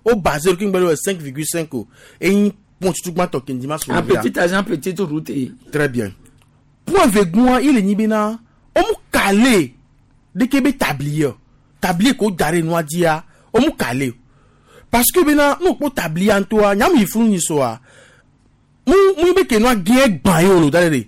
au basé sur 5,5 o. Et il point tout le monde qui dit Un petit agent petite route. Très bien. Point vegoin, il est ni bena, on mou calé de kebe tablier. Tablier ko dare noa dia, on mou calé. Parce que bena, nous pour tablier en toi, nyam yi funu ni soa. Mou mou be ke noa gien gban yo lo dare.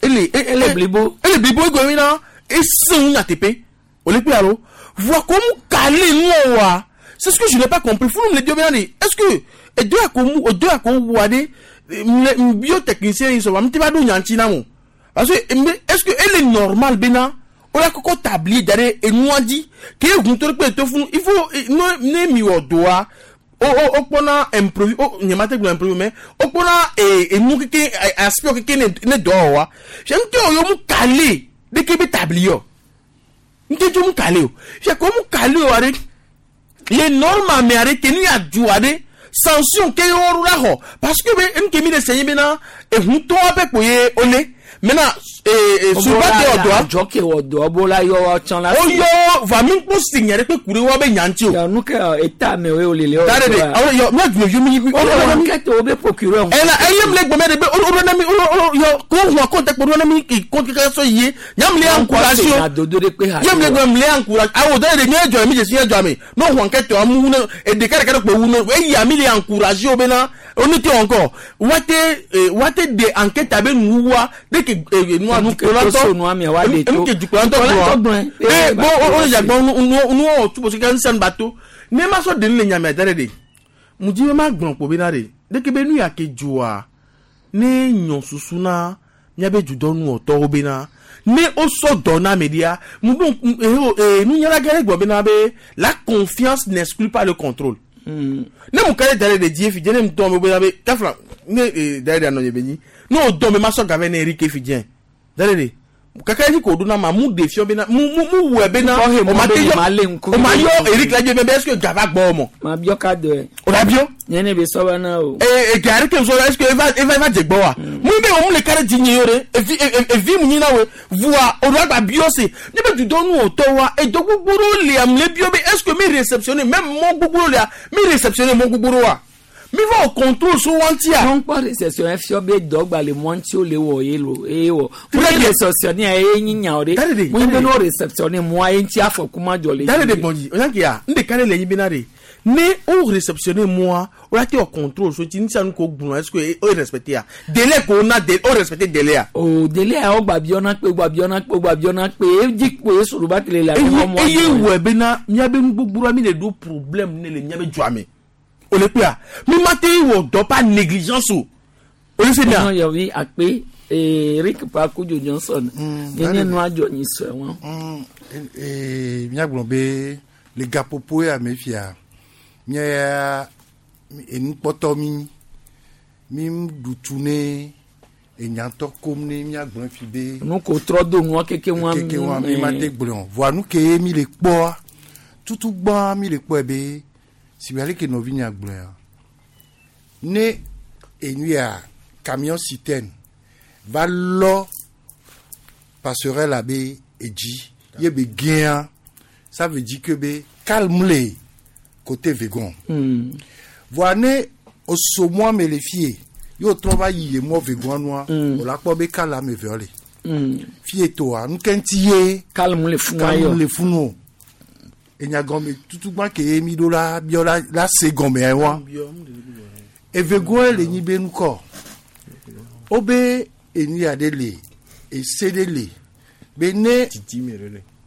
Ele Ele blibo. Ele blibo e go mina e sin na tepe. O le pe alo. Voir comme calé nous wa. C'est ce que je n'ai pas compris. Faut nous le dire bena est-ce que e deux à comme deux à comme wa de biotechnicien ils sont va m'te ba do nyanti na mo. Parce que est-ce que elle est normale bena o la koko tablier dare e nous dit que gun to pe to fún il faut no ne mi wo do wa o o o pona improvis o nyemate gbe improvis mais o pona e e nu keke aspect keke ne ne do wa j'aime que o yo mu calé de ke be tablier nte jo mu calé o j'ai comme mu calé o are les normes mais are ke ni adu are sanction ke yo ru la ho parce que be nke mi de senyin be na ehun to abe ko ye ole maintenant souvent te ọdọ Adzɔ ke wɔ dɔ bo la yɔ tsã la. o yɔ va mi kpɔ signe ɖe kpe ku ɖe wa be nyanti o. Nu ke eta me wo le le. Da de de awɔ yɔ mi adu yɔ mi mi. O le enquête wo be procureur. Ɛla eye mi le gbɔmɛ de be o o na mi o o yɔ ko hun ko tɛ kpɔ o na mi ki ko keke sɔ yie nyam le encourage o. Na dodo de kpe ha. Ye mi le gbɔmɛ mi le encourage awo da de nye jɔ mi jesi nye jɔ mi n'o hun enquête amu wu ne eɖeka ɖeka ɖe kpe wu ne eya mi le encourage o bena o ne te encore wate wate de enquête abe nuwa de ke nua Nu ke to so nua mia wa de to. enu ke dukplɔtɔ Dukplɔtɔ gblɔ gblɔe. ee bon o o jagbɔn nu nu nu wɔ tu parce que nsɛn bato ne ma sɔ deni le nyamia da de de mu dzi be ma gblɔ kpo bena de deke be nu ya ke dzoa ne nyɔ susu na miabe dudɔnuwɔtɔwo bena ne wosɔ dɔ na ame ɖia mu ɖo ee nunyala gã ɖe gblɔ bena be la confiance n'exclut pas le contrôle ne mu ka ɖe da ɖe ɖe dzi efi dze ne mu tɔ me bena be kafla ne ee da ɖe ɖe anɔ nye be nyi ne o dɔn be ma sɔ gave ne erike fi dze da ɖe ɖe kaka dzi ko ɖo na ma mu ɖe fiɔ bena mu mu mu wɔe bena Kɔhe o mɔ ma be te nye yɔ ma lé ŋku. o ma yɔ erike la dze be est ce que gava gbɔ mɔ Ma biɔ ka dɔe. o la biɔ Nye ne be sɔ na o. ee ee gari ke sɔ est ce que eva eva eva dze gbɔ wa mu be o mu le ka ɖe dzi nye yɔ ɖe evi evi mu nyi na woe voa o ɖo agba biɔ se ne be dudɔnu o tɔ wa edo gbogbo ɖewo lia mu le biɔ be est ce que mi réceptionné même mɔ gbogbo ɖewo lia mi réceptionné mɔ gbogbo ɖewo wa mi va o contrôle so wantia. Wọ́n kpɔ réception fiɔ be dɔgba le mɔ ŋuti wo le wɔ ye lo eye wɔ. Très Mo bien. réception ye nyi nya o de. Daddy, Mo be daddy. no réception mɔ ye ŋuti afɔku ma dzɔ le. Dale de gbɔndzi o yan kia n de ka ɖe le nyi bena de ne o réceptionné moi o la te o contrôle so ti nisa nu ko gblɔ est ce que o respecté ya délai ko na de o respecté délai ya. O délai a wo gba biɔ na kpe gba biɔ na kpe gba biɔ na kpe edzi kpo ye soro ba tile le eye mɔ eye wɔ bena miabe nu gbogbo la mi le ɖo problème ne le miabe dua me o le kpea mi ma te wɔ dɔ par négligence o o le se mia. Ɔnà yɔvi akpe Eric Pakujo Johnson nye daddy. nua dzɔ nyi sɔe wɔn. Míagblɔ be le gaƒoƒo ya me fia míaya enukpɔtɔ mi mi ɖu tu ne enyatɔ kom ne míagblɔ fi be. Nu ko trɔ do nua keke wɔn. Keke wɔn mi ma te gblɔ voa nu ke ye mi le kpɔa tutu gbã mi le kpɔe be si be aleke nɔvi nya gblɔa ne enu ya camion citerne va lɔ passerelle la be edzi ye be gɛa ça veut dire que be calme le côté vegon. Voa ne oso mɔa me le fie ye wòtrɔ va yi ye mɔ vegoa nua o la kpɔ be kala ame eveawo le. Fie toa nuke ŋuti ye calme le funu calme le funu o. Enya gɔme tutugbã ke ye mi ɖo la biɔ la la se gɔmea wa. Evegoe le nyi be nukɔ. Wobe enu ya ɖe le ese ɖe le be ne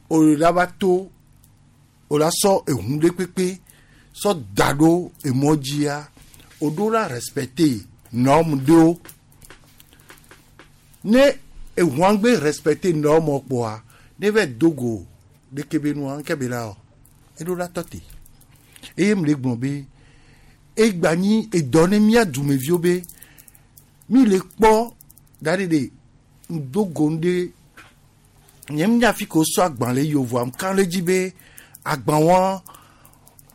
o la va to o la sɔ ehu ɖe kpekpe sɔ da ɖo emɔ dzia o ɖo la respecter norme ɖewo. Ne ehua gbe respecter norme kpoa ne va do go ɖeke be nua ŋke be la wɔ eɖo la tɔ te. Eye m le gblɔ be egba nyi edɔ ne mía dumeviwo be mi le kpɔ da ɖe ɖe ŋdo go ŋɖe nye m nya fi ke wosɔ agbalẽ yi o voa ŋka ɖe dzi be agbalẽa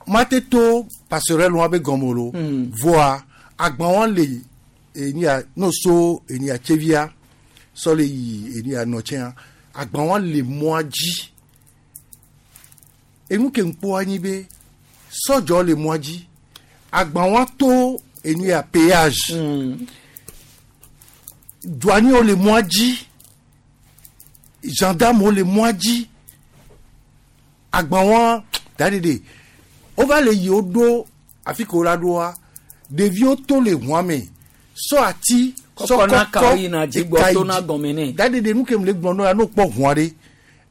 mate to passerelle wa be gɔme lo voa agbalẽa le enia no so enia tsevia sɔ le yi enia nɔtsɛa agbalẽa le mɔa dzi enu ke ŋkpɔ anyi be sɔdzɔ le mɔa dzi agbalẽa to enia péage douaniers le mɔa dzi gendarme le mɔa dzi agbalẽa daɖeɖe wova le yi woɖo afi ke wola ɖoa ɖeviwo to le ʋua me sɔ ati sɔ Kɔkɔ na kawo yina dzi gbɔ eka yi to na dzi. gɔme nɛ. daɖeɖe nu ke mu le gblɔ nɔ ya no kpɔ ʋua ɖe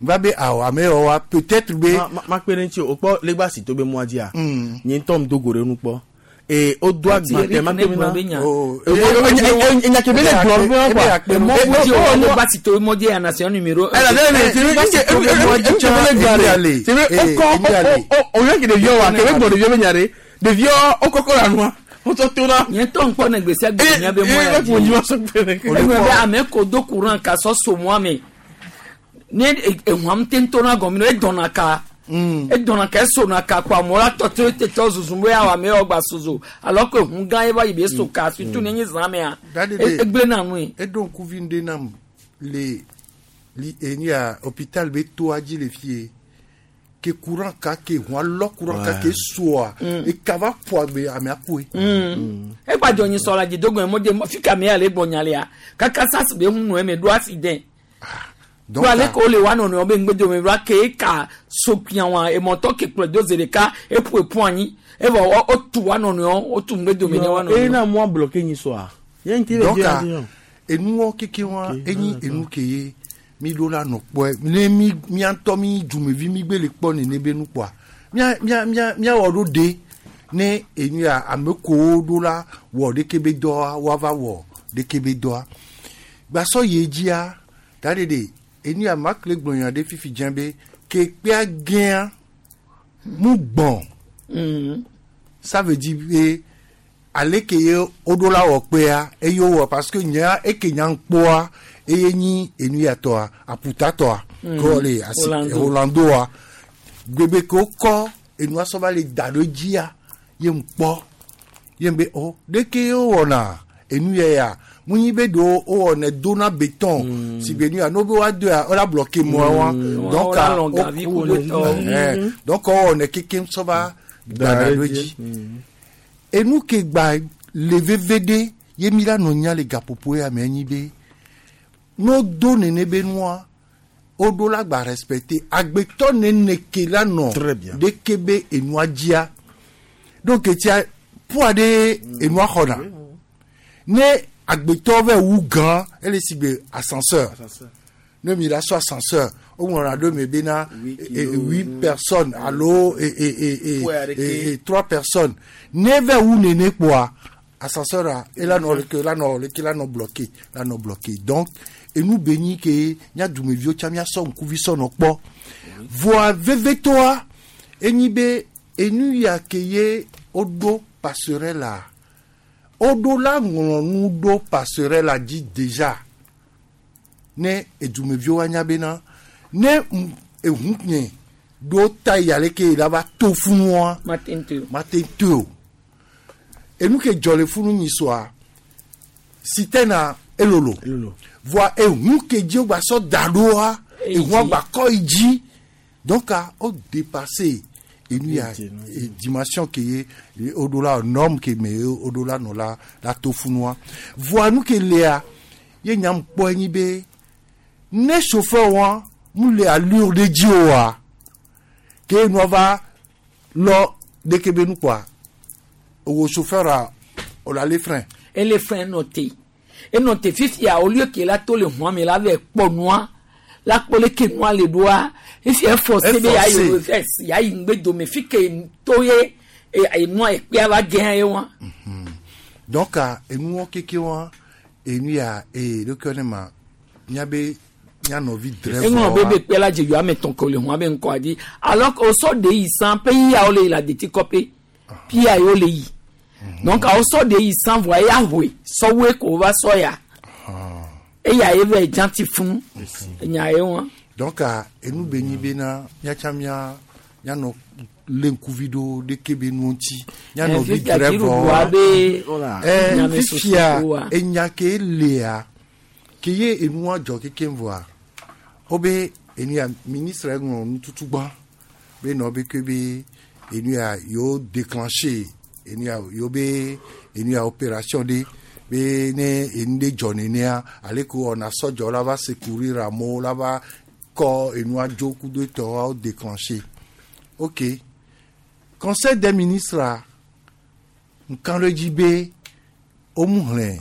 va be awɔ ame yawo wa peut-être be ma kpe ɖe ŋuti o kpɔ legba si to be mɔa dzia nye ŋutɔ ŋdo go ɖe nu kpɔ ee o do agba tɛ ma kpe mi na enya ke be ne gblɔ nu wa quoi Emɔ bu dzi o legba si to mɔ dzi ya nation numéro un. ɛna ne ne ti Legba si to be mɔ dzi ŋutsu be ne gblɔ ɖe ti be o kɔ o o yɔ ke ɖeviwo wa ke be gblɔ ɖeviwo be nya ɖe ɖeviwo o kɔkɔ la nua o tɔ to na. Nye ŋutɔ ŋkpɔ ne gbe sia gbe nya be mɔ ya ee dzi. dzi Egblɔ be ame ko do courant ka sɔ so mɔa me ne ehuam te ŋutɔ na gɔme no edɔna ka edɔna ka esona ka kpo amewo la tɔ te te tɔ zuzum be awɔ ame yawo gba sozo alors que hu gã ye va yi be eso ka surtout ne nye zã mea Daɖeɖe egblẽ na nui. eɖo ŋkuvi ŋɖe nam le li enia hôpital be toa dzi le fie ke courant ka ke ʋua lɔ courant ka ke soa eka va ƒo agbe amea koe. Egbadzɔ nyi sɔ la dzi dogo mɔ dze fi ka me ya le gbɔ nya lea kaka sasi be hu nɔ eme ɖo accident. Donc, Do ale ke wole wa nɔnɔewo be ŋgbedome va ke eka so kpia wa emɔtɔ ke kplɔe do zi ɖeka eƒo eƒu anyi evɔ wotu wa nɔnɔewo wotu ŋgbedome ne wa eye nɔnɔewo. na mɔa bloqué nyi sɔa ye ŋuti le donc dzi ya dzi yɔ. enuwo keke wa enyi enu ke ye mi ɖo la nɔ kpɔe ne mi mía ŋutɔ mi dumevi mi gbe le kpɔ nene be nu kpɔa mía mía mía míawɔ ɖo de ne enu ya ame kowo ɖo la wɔ ɖeke be dɔa woava wɔ ɖeke be dɔa gbasɔ yi dzia da ɖe ɖe enu ya makle gblɔ nya ɖe fifi dze be ke kpea gɛa mu gbɔn ça veut dire be ale ke ye woɖo la wɔ kpea eye wowɔ parce que nyea eke nya ŋkpɔa eye nyi enu ya tɔa aputa tɔa ke wole asi Orlando. Orlandoa gbegbe ke wokɔ enua sɔ va le da ɖo dzia ye ŋkpɔ ye be o ɖeke wowɔna enu ya ya mu nyi be ɖewo wowɔnɛ dona béton si be nu ya no be woa do ya wola bloquer mɔa wa donc Wola lɔ gavi ku le tɔ. Donc wowɔnɛ kekem sɔ va dana ɖo dzi enu ke gba le veve ɖe ye mi la nɔ nya le gaƒoƒo ya me nyi be no do nene be nua woɖo la gba respecter agbetɔ nene ke la nɔ ɖeke be enua dzia donc etia poids ɖe enua xɔna ne agbetɔ vɛ wu gã ele si be ascenseur ne mi la sɔ ascenseur woŋlɔna ɖo me bena huit personnes alo trois personnes ne vɛ wu nene kpoa ascenseur a ela nɔ leke la nɔ leke la nɔ bloqué la nɔ bloqué donc enu be nyi ke mía dumeviwo tsã míasɔ ŋkuvi sɔ nɔ kpɔ voa vevetoa enyi be enu ya ke ye woɖo passerelle la woɖo la ŋlɔ nu ɖo passerelle la dzi déjà ne edumeviwo anya bena ne ehu nye ɖo ta yi aleke yi la va to funua Mate ŋu o. mate ŋu o enu ke dzɔ le funu nyi soa sitɛna Elolo. Voa ehu ke dzi wogba sɔ da ɖoa, ehua gba kɔ yi dzi. Donc a o dépassé enu ya dimension ke ye o ɖo la norme ke me o ɖo la nɔ la la to funua. Voa nu ke lea ye nyam kpɔ enyi be ne chauffeur wa mu le allure ɖe dzi oa ke nua va lɔ ɖeke be nu kɔa o chauffeur a o la le frein. Ele frein nɔ te enɔ te fifia au lieu que la to le hɔn me la vɛ kpɔ nua la kpɔ le ke nua le ɖoa efi eforcé be ya yi reverse ya yi ŋgbe dome fi ke to ye enua ekpea va gɛn ye wa. Donc enuwo keke wa enu ya ee ɖokui ne ma miabe mia nɔvi drɛvɔ eŋlɔ be be kpe la dze yɔ ame tɔn ke le hɔn be ŋkɔa dzi alors que wosɔ de yi san pe yia wo le yi la deti kɔpe pia ye wo le yi donc wosɔ de yi san voa eya hoe sɔwoe ko va sɔ ya eya ye vɛ dzanti fún enya ye wa. Donc enu be nyi bena miatsa mia mianɔ lé ŋkuvi ɖo ɖeke be nuwo ŋuti mia nɔvi drɛvɔ be fifia enya ke lea ke ye enua dzɔ kekem vɔa wobe enu ya ministre ŋlɔ nututu gbã be nɔ be ke be enu ya yewo déclenché enu ya yewo be enu ya opération ɖe be ne enu ɖe dzɔ nenea ale ko wɔna sɔdzɔ la va secourir amewo la va kɔ enua dzo kudo etɔwo déclenché. Ok, conseil des ministres nkan ɖe dzi be womu hlẽ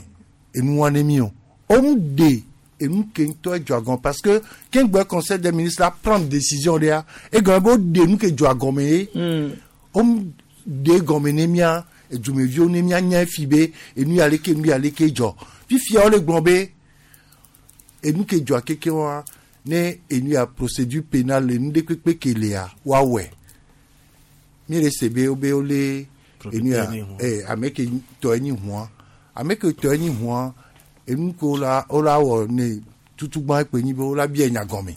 enua ne mi o womu de enu ke ŋutɔ dzɔ agɔme parce que keŋgbɛ conseil des ministres la prendre décision ɖea egɔme be woɖe nu ke dzɔ agɔme ye womu de gɔme ne mia edumeviwo ne mia nya fi be enu ya leke enu ya leke dzɔ fifia wole gblɔ be enu ke dzɔa keke wa ne enu ya procédure pénale enu ɖe kpekpe ke lea woawɔe mi le se be wobe wole enu ya ame ke tɔ enyi hua ame ke tɔ enyi hua enu ke wola wola wɔ ne tutugba ekpe nyi be wola bia nya gɔme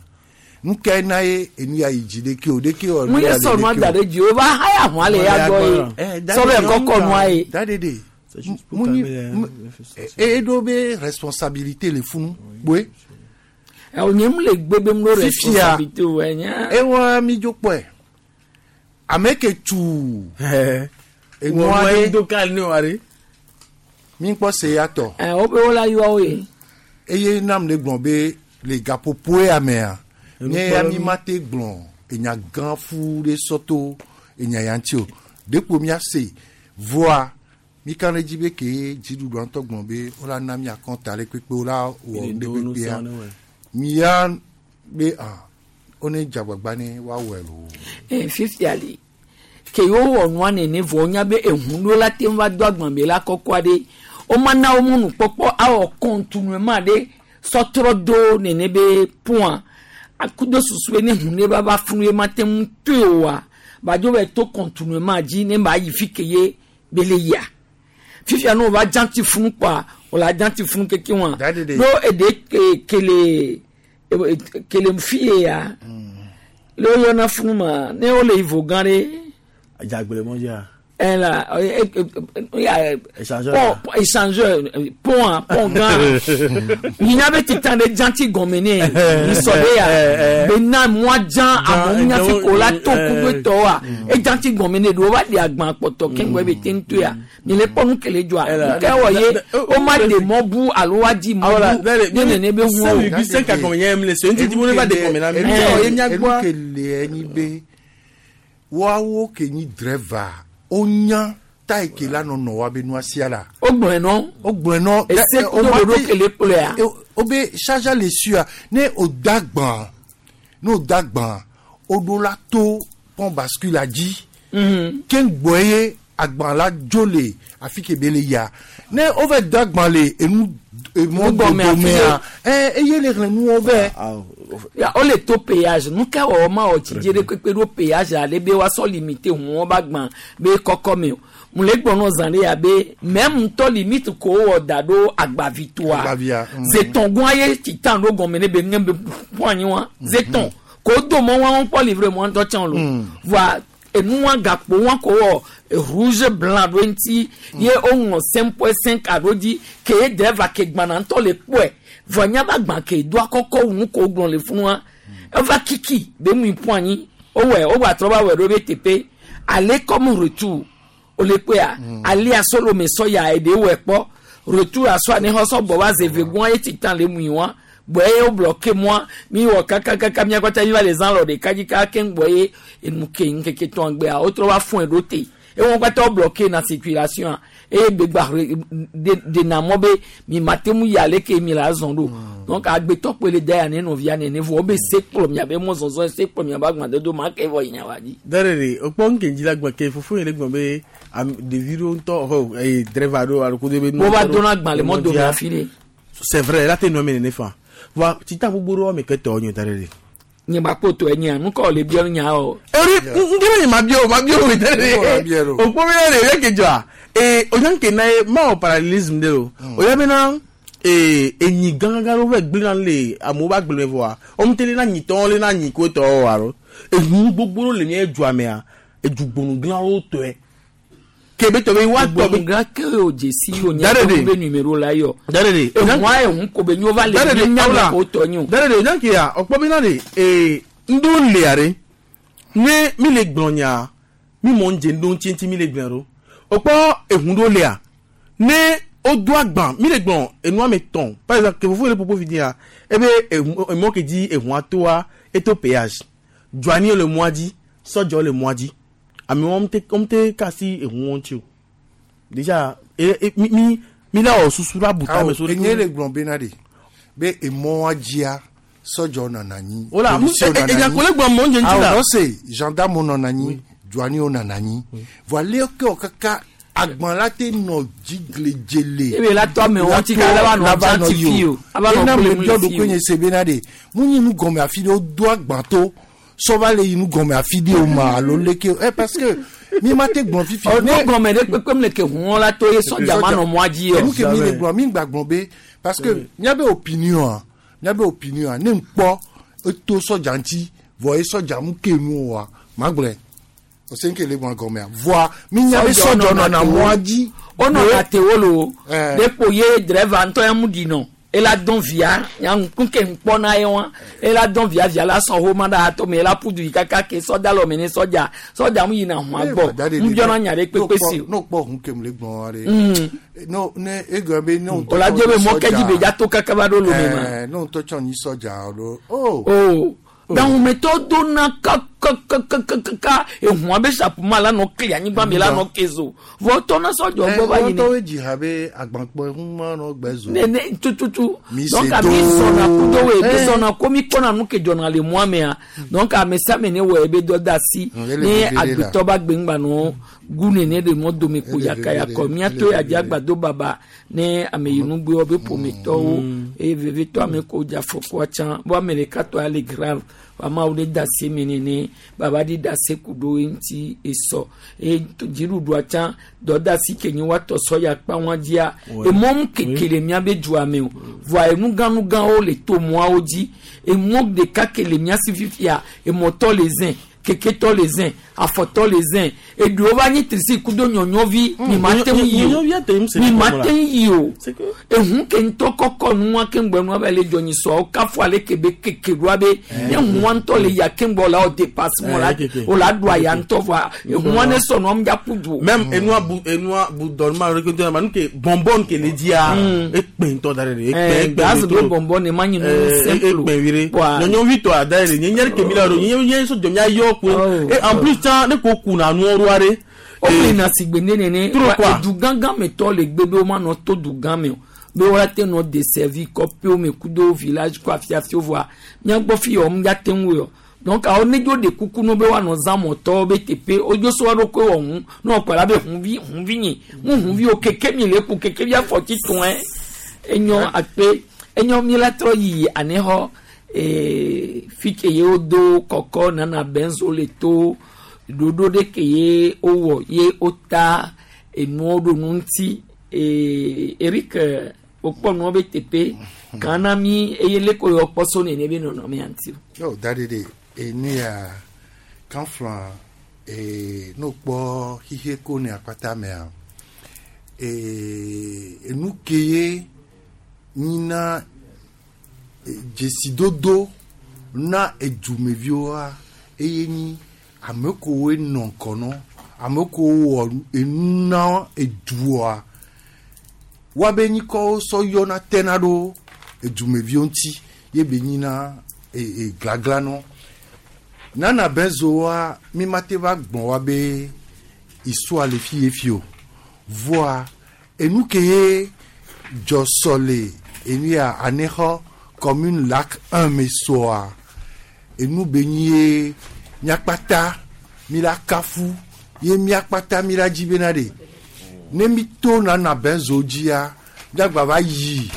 nu ke na ye enu ya yi dzi ɖeke o ɖeke o. Mu ye sɔ nua da ɖe dzi o va haya hɔn le ya gbɔ ye sɔbɛ kɔkɔ nua ye. Da de de mu nyi eɖo be responsabilité le funu kpoe. Ɛ nye mu le gbe be mu ɖo responsabilité o enya. Ewa mi dzo kpɔe ame ke tu enua ɖe do ka ne wa ɖe. Mi kpɔ se ya tɔ. Ɛ wo be wola yɔ wo ye. Eye nam le gblɔ be le gaƒoƒo ya mea nye ya mi ma te gblɔ enya gã fu ɖe sɔto enya ya ŋuti o ɖekpo mia se voa mi ka ɖe dzi be ke dziɖuɖua ŋutɔ gblɔ be wola na mia kɔnta ɖe kpekpe wola wɔ nu ɖe kpekpea mia be ah wone dze agbagba ne woawɔe loo. Ɛ fifia li ke yewo wɔ nua nene vɔ wonya be ehu ɖo la te ŋu va do agbã be la kɔkɔa ɖe womana wo mɔnukpɔkpɔ awɔ contournement ɖe sɔtrɔ do nene be pont akudo susu be ne hu ne va va funu ye ma te ŋu toe oa badzo va to contournement dzi ne ba yi fi ke ye be le yia fifia ne wova dzanti funu kpɔa wòle dzanti funu keke wa ɖo eɖe kele kele fi ye ya le woyɔna funu ma ne wole yi vo gã ɖe. Dzagble mɔ dzia. La ya Échangeur. Pont échangeur pont pont gã minya be titan ɖe dzanti gɔme ne misɔ be ya bena mɔa dzã amewo nya fi ko la to kudo tɔwoa edzanti gɔme ne ɖewo va ɖe agbã kpɔtɔ keŋgɔ ebe te ŋu ya mi le kpɔ nu kele dzɔa nu ke wɔ ye wo ma ɖe mɔ bu alo wa di mɔ bu ne nene be hu o. Enu ke le enyi be woawo ke nyi driver wonya ta yi ke la nɔ nɔ wa be nua sia la. Wogblɔe nɔ. Wogblɔe nɔ. Ese kudo ɖoɖo ke le kplɔea. Wo be charge le sua ne o da gbã ne o da gbã o ɖo la to pont bascule la dzi. Ke ŋgbɔ ye agbã la dzo le afi ke be le yia ne wo va da gbã le enu emɔ Nugɔme afi dodomea ɛ eye le xlẽ nuwo vɛ. Ya wole to péage nu ka wɔwɔ ma wɔ tsidze ɖe kpekpe ɖo péage ale be woasɔ limite ʋuwo ba gbã be kɔkɔ me o mu le gbɔ nɔ zã ɖe ya be même ŋutɔ limite ko wowɔ da ɖo agbavitoa Agbavia, zetɔn gɔn ye titan ɖo gɔme ne be ŋe be ƒu anyi wa zetɔn ko do mɔ wa kpɔ livre mɔ ŋutɔ tsã lo voa Enua gakpo wa ko wɔ rouge blanc ɖo ŋuti ye woŋlɔ 5.5 aɖo dzi ke ye driver ke gbana ŋutɔ le kpɔe vɔ nya ba gbã ke doa kɔkɔ wu nu ko gblɔ le funua eva kiki be mu ƒu anyi wowɔe wogba trɔ va wɔe ɖo be teƒe ale comme retour wole kpɔea alia solo me sɔ ya eɖe wɔe kpɔ retour asɔ ani xɔ sɔ gbɔ va zeve gɔa ye titan le mui wa gbɔ ye wo bloqué moi mi wɔ kakakaka mia kpata mi va le zã lɔ ɖeka dzi kaka keŋ gbɔ ye enu ke ŋkeke tɔn gbea wotrɔ va fɔe ɖo te ewɔn kpata wo bloqué na circulation eye gbegba ɖena mɔ be mi ma te ŋu yi ale ke mi la zɔn ɖo donc agbetɔ kpe le da ya ne nɔvia nene vɔ wobe se kplɔ miabe mɔzɔzɔ se kplɔ miabe agbadodo ma ke vɔ yina wa dzi. Dare okpɔ nke dzi la gbe ke fofo yi le gblɔ be ɖevi ɖewo ŋutɔ ɔ eye driver ɖewo alo kudo be. Wo va dona agba le mɔ dome afi ɖe. C'est vrai la te nɔ eme nene fa voa tita gbogbo ɖewo ame ke tɔ nyo dare ɖe. Nye ba kpo tɔ enya nu ka le biɔ nya o. Eri nkele nye ma biɔ o ma biɔ o dare ɖe. Okpɔ mi ɖe ɖe ke dzɔa ee onya nke na ye ma wɔ parallélisme ɖe o. Oya bena ee enyi gãgã ɖewo va gblẽ na le amewo ba gblẽ vɔa wɔm te le na nyitɔwo le na nyi ko tɔwo alo eŋu gbogbo ɖewo le mía dua mea edugbonu gãwo tɔe ke be tɔ be wa tɔ be. Gã ke o dzesi o nya Dare be numéro la yɔ. Dare ɖe. Ehua ehun ko be nyo va le Dare ɖe nya awla me ko tɔ nyo. Dare ɖe onya ke ya ɔkpɔ be na ɖe ee ŋɖewo lia ɖe ne mi le gblɔ nya mi mɔ ŋdze ŋɖewo ŋuti ŋuti mi le gblɔ ɖo ɔkpɔ eŋu ɖewo lia ne wodo agba mi le gblɔ enua me tɔn par exemple ke fofo yi le popo fi dia ebe eŋu emɔ ke dzi eŋua toa eto péage dzuani le mɔa dzi sɔdzɔ le mɔa dzi amewo wɔm te wɔm te kasi eŋu ŋuti o déjà e e mi mi mi la wɔ susu la bu tame so. Enye le gblɔ bena ɖe be emɔa dzia sɔdzɔ nɔna anyi. Wala, polisiwo nɔna enya anyi. ko le gblɔ mɔ ŋdze ŋuti la. Awɔ nɔse gendarme nɔna anyi douaniers nɔna anyi. Vɔ ale ke wɔ kaka agban la te nɔ dzigledzele. Ebe la tɔ amewo ŋuti ka la va nɔ La va nɔ dza yi fi o. Ava nɔ Ena kple me mu biɔ le fi ɖokui o. nye se bena ɖe mu nyi nu gɔme afi ɖe wodo agban to sɔ va le yi nu gɔme afi ɖe o ma alo leke o ɛ parce que mi ma te gblɔ fifi. Ɔ nu gɔme ɖe kpekpe le ke huɔ la to ye sɔdza ma nɔ mɔa dzi yɔ. Enu ke mi le gblɔ mi gba gblɔ be parce que miabe opinion a miabe opinion a ne ŋkpɔ eto sɔdza ŋuti vɔ ye sɔdza mu ke nu oa ma gblɔe ose nke le gblɔ gɔmea voa mi nya be sɔdzɔ nɔna mɔa dzi. Wonɔna tewo lo Eh. ɖe kpo ye driver ŋutɔ ya mu ɖi nɔ ela dɔn via nya ŋku ke ŋkpɔ na ye wa ela dɔn via via la sɔn homa ɖe ato me ela ƒu du yi kaka ke sɔdza lɔ me ne sɔdza sɔdza mu yina hɔn gbɔ mu biɔna nya ɖe kpekpe si o. N'o kpɔ hun ke mu le gblɔ wa de. No ne egblɔ be ne O la dzo be mɔ ke dzi be dza to kaka va ɖo lome ma. Ne ŋutɔ tsɔ nyi sɔdza alo o. O gahumetɔ dona kakakakakaka ehua be sapuma la nɔ kli anyigba me la nɔ ke zo vɔ tɔna sɔdzɔ gbɔ va yina. Ŋutɔ dzi ha be agbankpɔ ehun ma nɔ gbɛ zo. Nene tututu Mi donc se ami do. zɔna kudo we mi Eh. zɔna ko mi kpɔna nu ke dzɔna le mɔa mea donc ame sia ame ne wɔ ebe dɔ da asi ele ne veve ɖe la. agbetɔ ba gbe ŋgba nɔ gu nene ɖe mɔ dome ko Ele yakayakɔ veve ɖe, miato ele ya dzi veve ɖe. agbado baba ne ame yi nugbewo be ƒometɔwo eye vevetɔ ame ko dze afɔkua tsã bo ame ɖeka tɔ ya le grave amawo ɖe da asi eme nene baba ɖe da asi ku ɖo eŋuti esɔ eye dziɖuɖua tsã dɔdasi ke nyi woatɔ sɔ ya kpa wɔn dzia Ouais. emɔ mu keke le miabe dua me o voa enugãnugãwo le to mɔawo dzi emɔ ɖeka ke le mia si fifia emɔtɔ le zẽ keketɔ le zẽ afɔtɔ le zẽ eɖewo va nyi trisi kudo nyɔnyɔvi mi ma te ŋu yi o Nyɔnyɔvi ate ŋu se mi ne ma kɔmɔ la. te ŋu yi o ehu ke ŋutɔ kɔkɔ nua ke ŋgbɛ nua va le dzɔ nyi sɔawo kafu ale ke be keke ɖoa be ne hua ŋutɔ le ya ke ŋgbɛ o la o dépassement o la Eh, keke. o la ɖu aya ŋutɔ voa ehua ne sɔ nua ŋdza ƒu du o. Même enua bu enua bu dɔnma ɖe ke ma nu ke bonbon ke le dzia ekpe ŋutɔ da ɖe ɖe ekpe Eh, ekpe gaz le be to. bonbon ne ma nyi nu Eh, simple o. ekpe vi ɖe Voa- nyɔnyɔvi tɔ da ɖe nye nye ɖe ke mi la ɖo nye nye sɔ dzɔ mia yɔ koe et en plus tsã ne ko kuna nuwo ɖoa ɖe. o na sigbe ne nene Trop quoi. du gãgã me tɔ le gbe be womanɔ to du gã me o be woate nɔ desservi kɔƒewo me kudo village kɔ afiafiwo voa míagbɔ fi yɔ ŋdza te ŋu yɔ donc awo ne dzo ɖe kuku no be woanɔ zã mɔtɔwo be teƒe wodzo so woaɖokui wɔ ŋu ne wòkpɔ la be hunvi hunvi nyi ŋu hunvi o keke mi le ku keke vi afɔti tɔn enyo akpe enyo mi la trɔ yi anexɔ ee fi ke ye wodo kɔkɔ nana benzo le to ɖoɖo ɖe ke ye wowɔ ye wota enuwo ɖo nu ŋuti ee Eric wokpɔ nuwo be teƒe kan na mi eye leke yɔ kpɔ so nene be nɔnɔmea ŋuti. Yo da de de enu ya kan flan Ee, ne wokpɔ xixe ko ne akpata mea, ee, enu ke ye nyina dzesidodo na edumeviwoa, eye nyi ame kewoe nɔ ŋkɔ nɔ, ame kewo wɔ enu na edua, woabe nyikɔwo sɔ yɔna tena ɖo edumeviwo ŋuti ye be nyina e, e, glagla nɔ. Nana Benzoa, mi mate va gbɔn wa be histoire le fi ye fi o. Voa enu ke ye dzɔ sɔ le enu ya anexɔ commune Lac 1 me sɔa, enu be nyi ye miakpata mi la kafu ye miakpata mi la dzi bena ɖe ne mi to Nana Benzo dzia, miagba va yi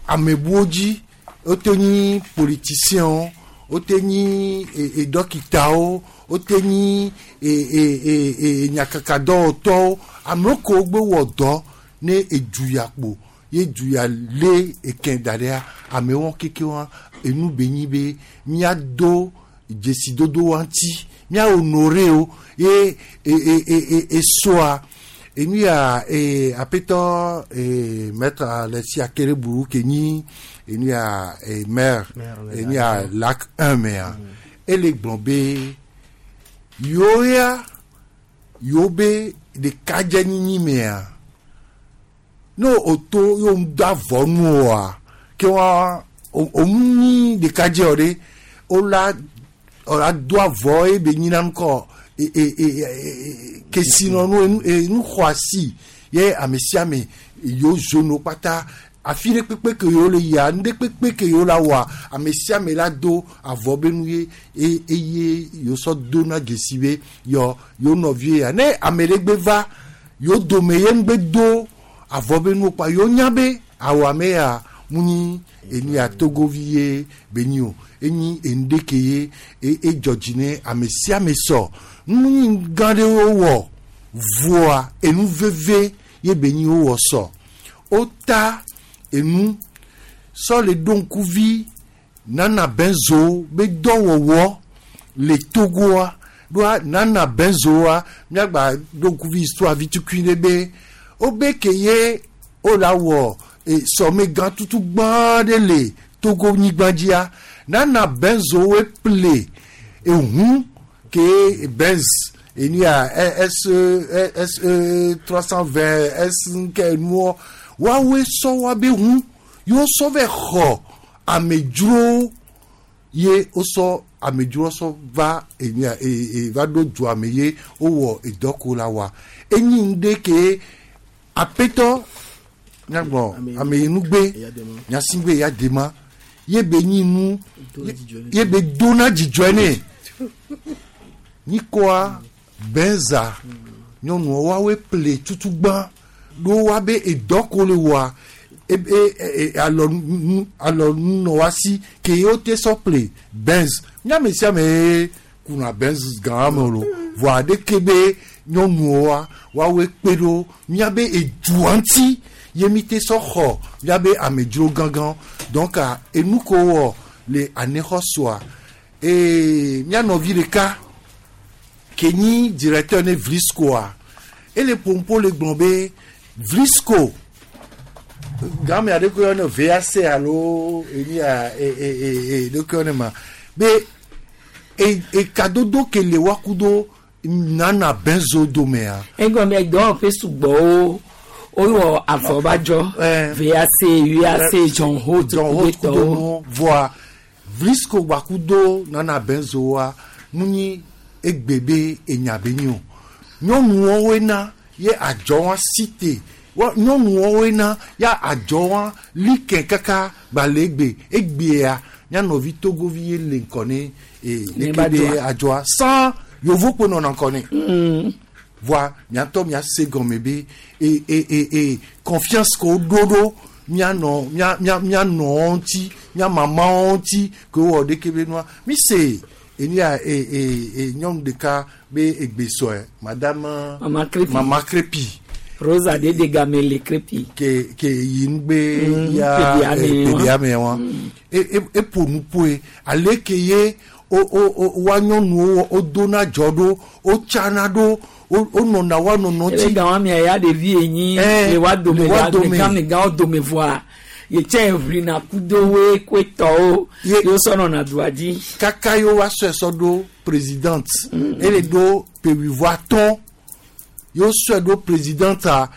amebuwo dzi, wote nyi politicienwo, wote nyi e, e, dɔkitawo, wote nyi e, e, e, e, nyakakadɔwɔtɔwo, amewo kewo gbe wɔ dɔ ne edu ya kpo ye du ya lé eke da ɖea, amewo keke wa enu be nyi be míado dzesidodo wa ŋuti, mía honore wo ye e, e, e, e, esoa enu ya e, aƒetɔ e, maître Alexis Akereburu ke nyi enu ya e, maire enu ya Lac 1 mea, ele gblɔ be yewo ya yewo be ɖekadzenyinyi mea, ne o to yewo ŋu do avɔ nu oa, ke wa o ŋu nyi ɖekadze o ɖe, wola wola do avɔ ye be nyina ŋkɔ e e e e kesinɔnu enu enu xɔasi ye ame sia ame yewo zono kpata afi ɖe kpekpe ke yewo le yia, nu ɖe kpekpe ke yewo la wɔa, ame sia ame la do avɔ be nu ye eye yewo sɔ dona dzesi be yɔ yewo nɔvie ya. Ne ame ɖe gbe va yewo dome ye ŋgbe do avɔ be nuwo kpa, yewo nya be awɔ ame ya mu nyi enu ya togovi ye be nyi o, enyi enu ɖe ke ye edzɔ dzi ne ame sia ame sɔ. Nu nyi gã ɖe wowɔ voa, enu veve ye be nyi wowɔ sɔ. Wota enu sɔ le ɖo ŋkuvi Nana Benzo be dɔwɔwɔ le Togoa. Ɖoa Nana Benzoa, míagba ɖo ŋkuvi histoire vi tukui ɖe be wobe ke ye wola wɔ e, sɔmegã tutu gbã ɖe le Togo nyigba dzia, Nana Benzo woe ple ehu ke Benz enu ya S S 320 S nke nuɔ, woawoe sɔ woabe hu yewo sɔ vɛ xɔ amedzrowo ye wosɔ amedzrowo sɔ va enu ya e, e, va ɖo dua me ye wowɔ edɔ ko la wa. Enyi nu ɖe ke aƒetɔ nyagbɔ ameyinugbe nyasigbe ya dema ye be nyi nu ye be dona dzidzɔe nɛ nyikɔa Benza nyɔnuwo woawoe ple tutugbã ɖo woabe edɔ ko le wɔa e, e, e, alɔ nu alɔ nunɔ wa si ke ye wote sɔ ple Benz. Míame sia ame ye kuna Benz gã me o, vɔa ɖeke be nyɔnuwoa woawoe kpe ɖo míabe edua ŋuti ye mi te sɔ xɔ míabe amedzro gãgã. Donc enu ko wɔ le anexɔ sɔa ee, mía nɔvi ɖeka ke nyi directeur ne Vliscoa, ele ƒomƒo le gblɔ be Vlisco game aɖe ko yɔne VAC alo enu ya e e e e ɖeke yɔne ma be e ekadodo ke le wa kudo Nana Benzo domea. Egɔme dɔwɔƒe sugbɔwo wowɔ avɔbadzɔ VAC, UAC, John Holt. John Holt kudo nuwo voa Vlisco gba kudo Nana Benzo wa mu nyi egbe be enya be nyi o. Nyɔnuwo woe na ye adzɔ wa site wa, nyɔnuwo woe na ya adzɔ wa like kaka gba le egbe egbea mía nɔvi togovi ye le ŋkɔ ne e Ne leke ba be dzɔa. adzɔa sans yovokpo nɔna ŋkɔ ne. Voa miatɔ miase gɔme be e e e e confiance ko ɖo ɖo mianɔ mia mia mianɔ ŋuti, mia mamawo ŋuti ke wowɔ ɖeke be nua mi se enu ya e e e nyɔnu ɖeka be egbe sɔe, madame Mama Crepi. Mama Crepi. Rosa de de game le Crepi. Ke yi nugbe ya Pedia me wa. Pedia me wa e e eƒo nu ƒoe ale ke ye wo wo wo wa nyɔnuwo wodona dzɔ ɖo wotsana ɖo wonɔna wa nɔnɔ Ele gan wa mia ya ɖevi enyi le wa dome le wa dome. le gãwo dome voa yetsɛ ʋlina kudo woe koetɔwo yewo sɔ nɔna dua dzi. Kaka ye wa sɔe sɔ ɖo présidente ele ɖo pewivɔ atɔ̃ ye sɔe ɖo présidente a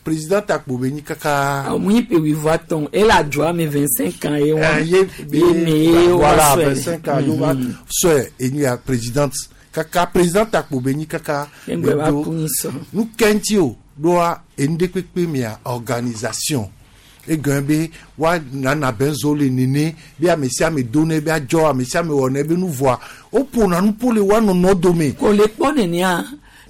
présidente akpo be nyi kaka. Awo nyi pewivɔ atɔ̃ ele adzɔa me 25 ans ye wa ye ye ne ye wa voilà sɔe. 25 ans ye wa sɔe enyi ya présidente kaka présidente akpo be nyi kaka. Engbe va ɖo- ku nyi sɔ. Nu kɛntì o ɖoa enu ɖe kpekpe mia organisation egɔn be wa nana benzo le nene be ame sia ame do ne be adzɔ ame sia ame wɔ ne be nu vɔa woƒona nu ƒo le wa nɔnɔ dome. Ko le kpɔ nenea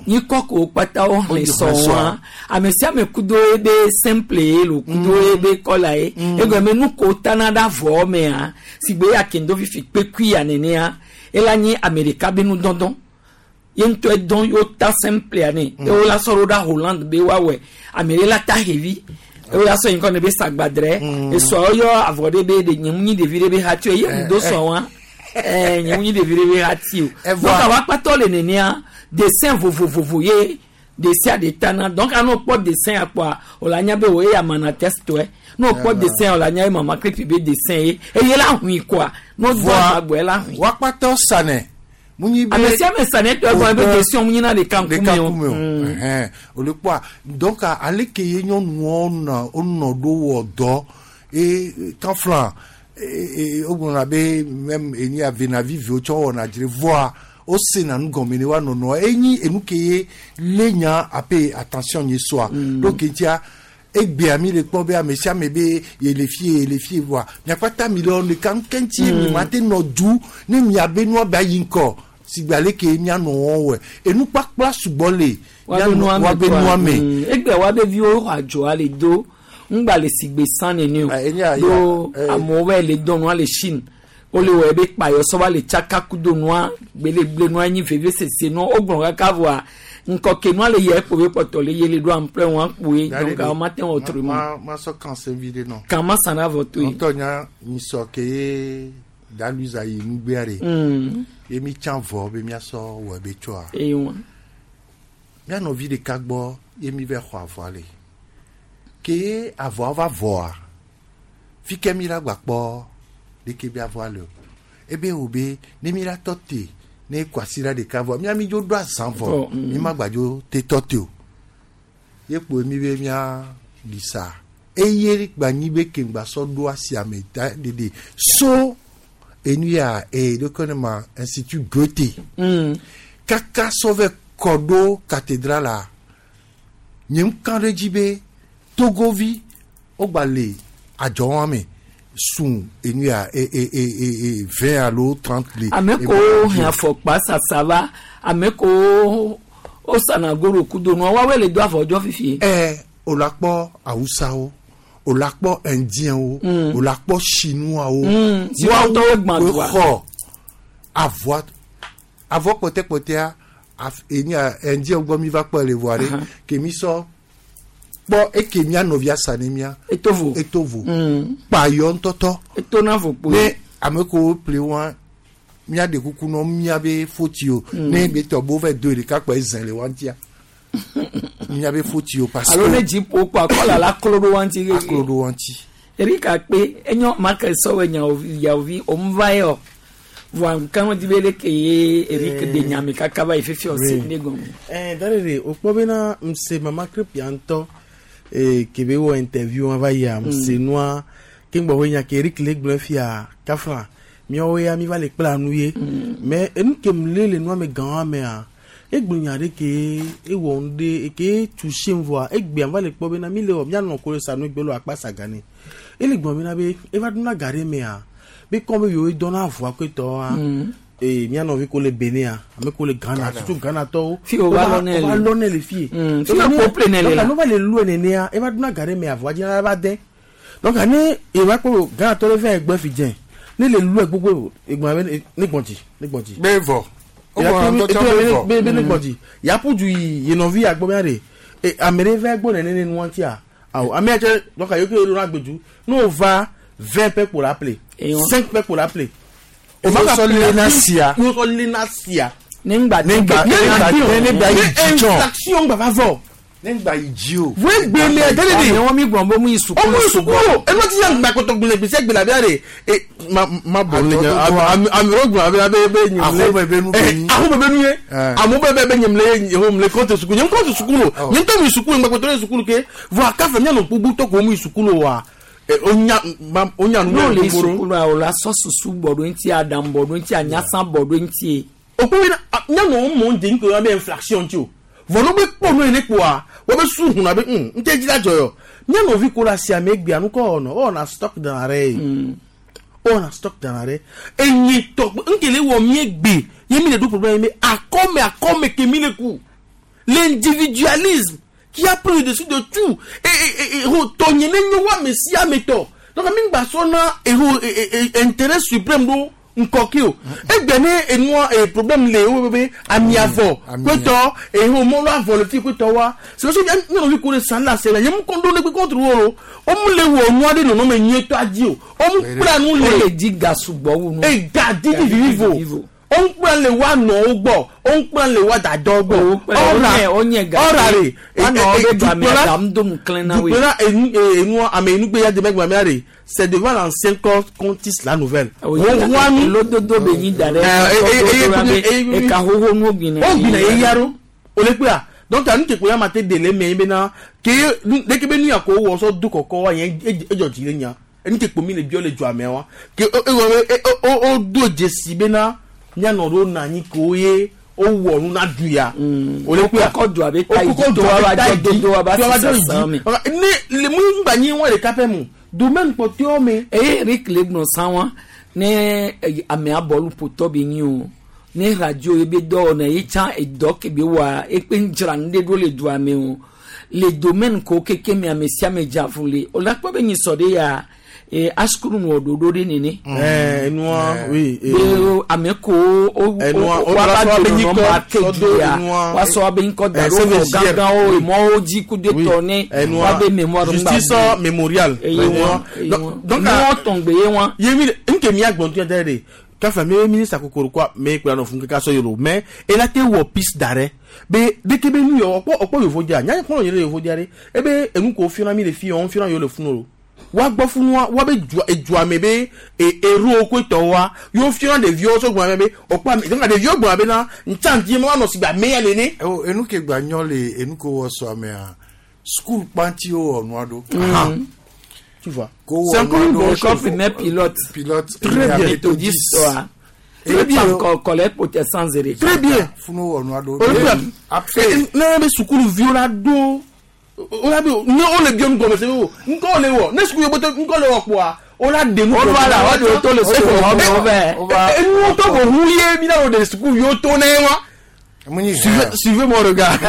nyikɔ ko kpata wo xlẽ Wo sɔ xlẽ wa sɔa. ame sia ame kudo ebe simple ye lo kudo ebe kɔla ye egɔme nu ko tana ɖe avɔ mea si gbe ya kendo fifi kpekui ya nenea ela nye ame ɖeka be nudɔdɔ ye ŋutɔ dɔn yewo ta simple ya ne ye wo la sɔ ɖo ɖa Hollande be woawɔe ame ɖe la ta xevi ye wo la sɔ yi ŋkɔ ne be sagbadrɛ esɔ yɔ avɔ ɖe be ɖe nye mu nyi ɖevi ɖe be hati o ye mu do sɔ wa ɛɛ nye mu nyi ɖevi ɖe be hati o donc awa kpatɔ le nenea dessin vovovovo ye dessin de tana donc anɔ kpɔ dessin akpɔa o la nya be o ye amana test tɔe n'o kpɔ dessin o la nya ye mama krepi be dessin ye eye la hui koa n'o do agbɔ la hui. Wa kpatɔ sanɛ mu nyi be. Ame sia ame sanɛ tɔ egɔme be dessin mu nyina ɖeka ɖeka ŋkume o. ŋkume o ɛhɛn o le kpɔa donc ale ke ye nyɔnuwo nɔ wonɔ ɖo wɔ dɔ e kanflan e wogblɔna be même enyi avenaviviwo tsɔ wɔna dzre vɔa wosena nu gɔme ne wa nɔnɔ enyi enu ke ye lé nya ape attention nye soa donc etia egbea mi le kpɔ be ame sia ame be yele fie yele fie voa miakpata mi le wɔ ɖeka ŋkɛntsi mi ma te nɔ du ne miabe nua be ayi ŋkɔ sigbe ale ke mianɔ wɔn wɔ enukpakpla sugbɔ le Wabe nua me wabe koa. nua me. Egbe wabe viwo xɔ adzɔa le do ŋgba le sigbe san nene o do amewo va le dɔn nua le Chine wole wɔ ebe kpayɔ sɔ va le tsaka kudo nua gbelegble nua nyi veve sese nua wogblɔ kaka voa ŋkɔke nua le yɛ ekpo be kpɔtɔ le yele ɖo ample wɔn kpoe donc awo ma te wɔ autrement Ma ma sɔ kan se vi de nɔ. kan ma san na vɔ to yi. Ŋutɔ nya nyisɔ ke ye daluiza yi nugbea de. Ye mi tsã vɔ be miasɔ wɔ be tsɔa. Eye wa. Mía nɔvi ɖeka gbɔ ye mi va xɔ avɔa le. Ke ye avɔa va vɔa, fi ke mi la gba kpɔ ɖeke be avɔa le o. Ebe wo be ne mi la tɔ te ne kwasiɖa ɖeka vɔ mía mi dzo ɖo azã vɔ Vɔ, mi ma gba dzo te tɔ te o. Ye kpo mi be mía ɖi sa. Eye gba nyi be ke ŋgba sɔ ɖo asia me da ɖeɖe so enu ya e ɖeke ne ma institut Goethe. Kaka sɔ vɛ kɔ ɖo cathédrale la nye ŋka ɖe dzi be togovi wogba le adzɔwa me sun enu ya e e e e e 20 alo 30 le. Ame kowo hɛn afɔkpa sasa va ame kowo wosana goro kudo nua woawoe le do avɔ dzɔ fifie. Ɛ o la kpɔ awusawo o la kpɔ indienwo o la kpɔ chinoiswo. Chinois tɔwo gbã woe dua. xɔ avɔa avɔ kpɔtɛkpɔtɛa enu ya indien gbɔ mi va kpɔ le voa ɖe ke mi sɔ kpɔ eke mia nɔvia sa ne mia. Etovo. Etovo. Kpayɔ ŋutɔtɔ. Eto na vo kpoe. Ne ame kewo ƒle wa mía ɖe kuku nɔ mía be foti o ne be tɔ bo va do ɖeka kpɔ ezẽ le wa ŋutia mía be foti o parce alo ne que dziƒo kɔ akɔla la klo ɖo wa ŋuti. Aklo ɖo wa ŋuti. Erika kpe enyo make sɔwɔ nyawovi yawovi omva yɔ voa nkan di be leke ye Eric de nyame kaka va yi fifi ɔsi ne gɔme. Eh, darere o kpɔ bena ŋse mama krepia ŋutɔ eh, ke be wɔ interview wa va yia ŋse nua ke ŋgbɔ nya ke Eric le gblɔ fia kafla míawo ya mi va le kpla nu ye mais enu ke mu le le nua me gã wa mea egblɔ nya ɖe ke ewɔ nu ɖe ke touché voa egbea va le kpɔ bena mi le wɔ mianɔ ko le sa nu egbe le akpa sa ga ne ele gblɔ bena be eva ɖona ga ɖe mea be kɔn be yewo dɔna avɔa koetɔa ee mía nɔvi ko le Benin ame ko le Ghana surtout Ghana tɔwo Fi wo va lɔ nɛ le. va lɔ nɛ le fie Fi wo ƒo ƒle nɛ le la. donc ne va le lɔe nenea eva ɖona ga ɖe me avɔa dzi la va de donc ne eva kpɔ Ghana tɔ ɖe va egbe fi dze ne le lɔe gbogbo egbɔn be ne gbɔn dzi ne gbɔn dzi. Be vɔ. Wogbɔna ŋutɔ tsã be vɔ. Be ne gbɔn dzi yaƒu du yi ye nɔvi agbɔ bena ɖe e ame ɖe va gbɔ nene nua ŋutia awɔ ame ya tse donc ayi ke ɖo agbedu ne wo va 20 pɛ kpo la ple 5 pɛ kpo la ple. O ma Wosɔ lena sia. Wosɔ lena sia. Ne ŋgba Ne ŋgba- ne ŋgba- ne ŋgba yi dzi tsɔ. Inflation gba va vɔ. Ne ŋgba yi dzi o. Voe gbe me dede de. Amewo mi gblɔ be mu yi sukulu Omu yi sukulu. Enu ti yan gba kɔtɔ gbele gbèsè gbele abi are. E ma ma bɔ ne nya. Ami ami ro gbɔn abi abe be nyim le. Aho bebe nu be nyi. Aho bebe nu ye. Eh. Amu bebe be nyim le yeho mle kɔntɛ sukulu. Nyem kɔntɛ sukulu. Nyem tɔ mi sukulu ŋgba kɔtɔ le sukulu ke. Vɔ akafe mianɔ gbogbo tɔ ko mu yi sukulu wa. E o nya ma o nya nu n'o le le gbogbo. sukulu a o la sɔ susu bɔ ɖo ŋuti aɖaŋu bɔ ɖo ŋuti anyasa bɔ ɖo ŋuti. O ko yina mianɔ mɔ de ŋkɔ abe inflation ti o. Vɔ n'o be kpɔ nu yi ne kpoa wo be su hun abe ŋutɛ dzi la dzɔ yɔ. Mianɔvi ko la si ame gbea nu kɔ wɔnɔ wɔna stock dans l'arrêt. Wɔna stock dans l'arrêt. Enyi tɔ nkele wɔ mie gbe ye mi le do problème ye akɔme akɔme ke mi le ku. L'individualisme qui a pris le dessus de tout. Et et et et tɔnye ne nyo wa ame sia ame tɔ. Donc mi gba sɔ na eho e e intérêt suprême do nkɔki o. Egbe ne enua e problème le wo be ami avɔ kpetɔ eho mɔlu avɔ le fi kpetɔ wa. C'est parce que nyɔnuvi ko le san la se la nye mu kɔn do ne kpe contre wo o. O mu le wɔ nua de nɔnɔme nyuietɔ adi o. O mu kpla nu O le. le di ga sugbɔ wu nu. E ga didi vivivo. O ń kpla le wa nɔwo gbɔ. O ń kpla le wa dadɔ gbɔ. O nye ga. Ɔra re. Wanɔ be game aɖaŋu do nu klẽ na woe. Dukplɔla enu enua ame enugbe ya deme gbame are c'est devant l'ancien corps qu'on tisse la nouvelle. Wanu lododo be nyi da ɖe. Eka xoxo nu gbina. O gbina ye yaro. O le kpea. Donc anu ke kpoya ma te dele me bena ke leke be nu ya ko wɔ sɔ do kɔkɔ wa yẹn edzɔ dzi le nya. Enu ke kpo mi le biɔ le dzɔ amea wa. Ke o o o o do dzesi bena mianɔ ɖo na anyi ko ye o wɔ nu na du ya. O le kpea. Okɔkɔ do abe ta yi dzi to wa ba dzɔ dodo wa ba sisa me. Ne le mu ŋgba nyi wɔn ɖeka pɛ mu domaine kpɔtɔewo me. Eye Eric le gblɔ sã wa ne amea bɔlu ƒotɔ be nyi o ne radio ye be dɔ wɔna ye tsã edɔ ke be wɔa ekpe ŋdzra nu ɖe ɖo le dua me o le domaine ko keke me ame sia ame dza fu le o la kpɔ be nyisɔ ɖe ya e asukulu wɔ ɖoɖo ɖe nene. Ɛɛ enua oui. Be ame ko o Enua, o wa ba o do be nɔnɔ nyikɔ, ma ke sɔ du do ya enua. wa sɔ abe ŋkɔ da Eh, ɖo xɔ CVJR. gãgãwo emɔwo dzi kudo tɔ ne wa be mémoire ŋgba justice bu. mémorial. Eye wa Enua. Donc nuwɔ tɔngbe ye wa. ye mi nke mi agbɔn tún yɛ de kafa mi ministre kokoro kwa mi kura nɔ fun keka sɔ yoro mais ela te wɔ piste d'arrêt be deke be nu yɔ ɔkpɔ ɔkpɔ yovo dia nya kɔnɔ yɛrɛ yovo dia de ebe enu ko fiɔna mi le fi yɔ fiɔna yɔ le funu o wa gbɔ funua wa be dua edua me be e ero ko tɔ wa yɔ fiɔna ɖeviwo sɔ gbɔna be ɔkpɔ ame donc ɖeviwo gbɔna be na ntsanti ma nɔ sigbe ame ya nene. O enu ke gba nyɔ le enu ke wɔ sɔ amea school kpanti wo wɔ nua ɖo. Mm. Tu vois. Ko wɔ C'est encore nua une ɖo. bonne école primaire pilote. Pilote. Très bien. Méthodiste. Très bien. Collège protestant zere. Très bien. Funu wɔ nua ɖo. Olympiade. Après. Ne be sukuluviwo la do o la be ne o le biɔ nu gɔme se o ŋkɔ le wɔ ne sukulu yobotɔ ŋkɔ le wɔ kpoa o la de nu O va la, o de to le sukulu xɔ me, o vɛ. Enuwo tɔ ko hu ye mi na o de sukuluviwo to ne wa. Suivez suivez mon regard.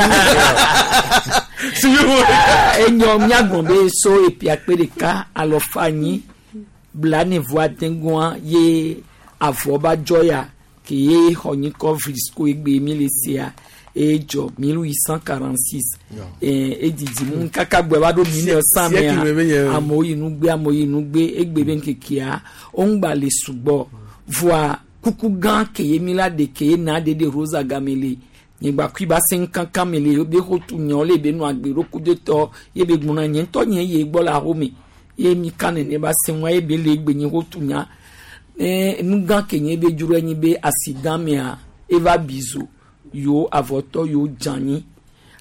Suivez mon regard. Enyɔ miagbɔn be so epi akpe ɖeka alɔfa anyi blanevo adeŋua ye avɔ ba dzɔ ya ke ye xɔ nyikɔ vlisco egbe mi le sia edzɔ 1846 edidi mu kaka gbɔ va ɖo 1900 Siècle me be nye. mea amewo yi nugbe amewo yi nugbe egbe be ŋkekea wo ŋgba le sugbɔ voa kuku gã ke ye mi la ɖe ke ye na ɖe ɖe rosa game le nyigba kui ba se ŋkankan me le be xotu nyɔ le be nu agbe ɖo kudo tɔ ye be gbɔna nye ŋutɔ nye ye gbɔ le ahome ye mi ka nene ba se ŋua ye be le egbe nye xotu nya ne nu gã ke nye be dzro enyi be accident mea eva bizo yewo avɔtɔ yewo dze anyi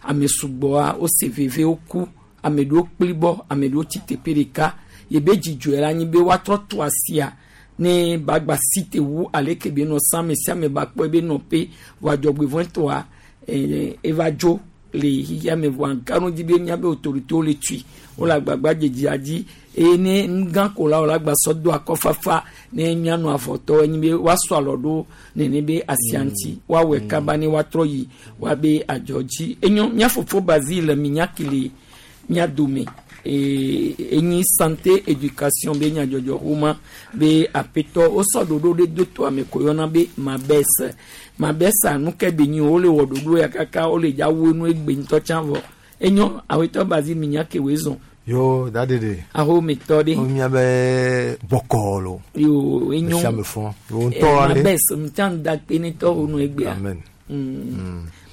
ame sugbɔa wose veve woku ame ɖewo kplibɔ ame ɖewo tsi teƒe ɖeka ye be dzidzɔe la nyi be woatrɔ to asia ne bagba si te wu aleke be nɔ sã ame sia ame ba kpɔ ebe nɔƒe vɔ adzɔgbevɔ̃etɔa eva dzo le xixia me vɔa ganu dzi be míabe autorité le tui wole agbagba dzedzia dzi eye ne nu gã ko la wole agbasɔ do akɔfafa ne míanɔ avɔtɔ enyi be woasɔ alɔ ɖo nene be asia ŋuti woawɔe kaba ne woatrɔ yi woabe adzɔ dzi enyo mía fofo Basile minyaki le mía dome ee enyi santé éducation be nyadzɔdzɔ xoma be aƒetɔ wosɔ ɖoɖo ɖe do to ame ko yɔna be mabes mabesa nu ke be nyi o wole wɔ ɖoɖo ya kaka wole dza wu enu egbe ŋutɔ tsã vɔ enyo awetɔ Basile minyaki woe zɔn. Yo daɖeɖe. Ahometɔ ɖe. Wo miabe bɔkɔ lo. Yo enyo. Mesia me fɔ. Yo ŋutɔ ale. Mabes ŋutsa da kpe ne tɔ wo nu egbea. Amen.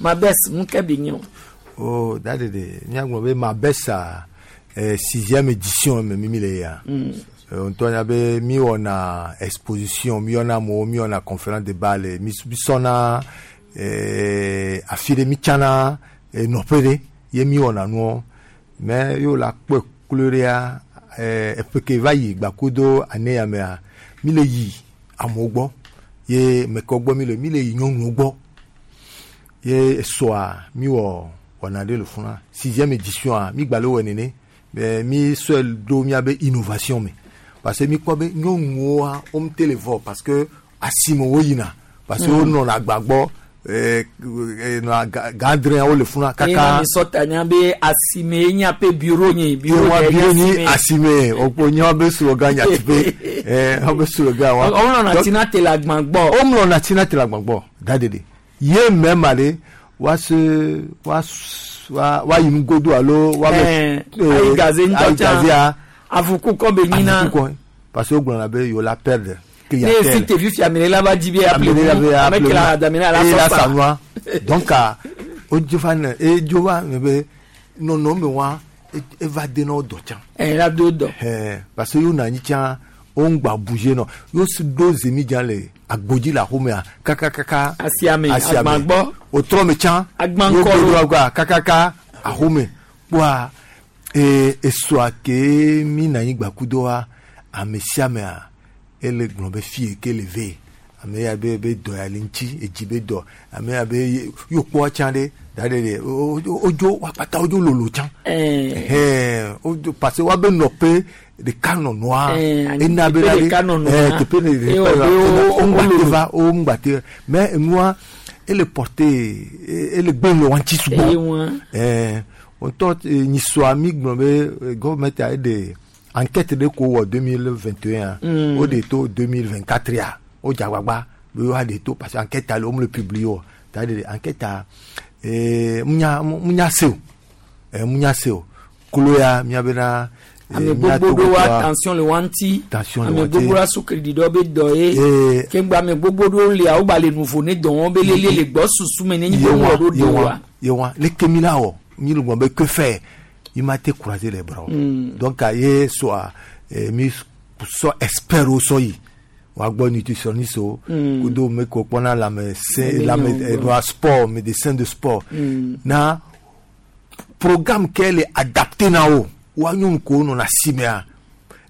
Mabes nu ke bi nye o. O daɖeɖe miagblɔ be Mabesa sixième édition me mi mi le ya. Ŋutɔ nya be mi wɔna exposition, mi yɔna amewo, mi wɔna conférence débat le, mi sɔna afi ɖe mi tsana nɔƒe ɖe ye mi wɔna nuɔ. Mais yo la kpɔe klo ɖea eƒe ke va yi gbakudo ane ya mea, mi le yi amewo gbɔ ye mekɔ gbɔ mi le yi nyɔnuwo gbɔ ye esɔa mi wɔ wɔna ɖe le funa sixième édition a mi gba le wɔ nene mais mi sɔe ɖo miabe innovation me parce que mi kpɔ be nyɔnuwoa wo ŋute le vɔ parce que asime wo yina parce que wo nɔna agba gbɔ nɔa gãdrẽa wo le funa kaka. Eye mi sɔ ta nya be asime nye aƒe bureau nye bureau bureau nye asime okpo nye wobe slogan nyatiƒe wobe slogan wa. Womlɔna tina te le agba gbɔ. Womlɔna tina te le agba gbɔ daɖeɖe ye mɛ ma ɖe wa se wa wa wa yi nugodo alo wa bɛ ayi gaze ŋutɔ tsã avuku kɔ be nyina avuku kɔ parce que wogblɔna be yewo la perdre ne si te fifi amene la va dzi be aple nu ame ke la damene ala sɔ sa nua donc o dzo va ne e dzo va ne be nɔnɔme wa eva de na wo dɔ tsã. Ɛ la do dɔ. Ɛɛ parce que yewo nɔ anyi tsã wo ŋgba bouger nɔ yewo si ɖo zemidza le agbodzi le axomea kakakaka. Asiame agbagbɔ. O trɔ me tsã. Agbankɔlo. Yewo kakaka axome kpoa esɔa ke mi nɔ anyi gbakudoa ame sia amea ele gblɔ be fie ke le ve ame ya be be dɔ ya le ŋuti edzi be dɔ ame ya be yio kpɔ tsã ɖe da ɖe ɖe wodzo wakpata wodzo lolo tsã ɛhɛn wodzo parce que woabe nɔƒe ɖeka nɔnɔa ena be la ɖe teƒe ɖeka woŋgbate va woŋgbate mais enua ele porte ele gbe le wa ŋuti sugbɔ ɛɛ ŋutɔ nyisɔa mi gblɔ be gɔvɛmɛnti eɖe enquête de ko wɔ 2021 o de to 2024 ya o dzagbagba be wa de to parce que enquête le wo le publier o c'est-à-dire enquête a munya se o munya se o kolo ya mia bena ame gbogbo ɖo wa tension le wa ŋuti ame gbogbo la sukli ɖɔ be dɔ ye kegbe ame gbogbo ɖo lia wo gba le nuvo ne dɔ wɔn be lele le gbɔ susu me ne nyi be wɔ ɖo de wa. Yewa leke mi la wɔ mi le gbɔn be que faire il m'a été croisé les bras. Donc, il soit mis soit expert au soy. Wa gbɔ nutritionniste o. Kudo me ko kpɔna la médecin la médecin sport médecin de sport. Na programme qu'elle est adapté na o. Wa nyɔnu ko nɔna simea.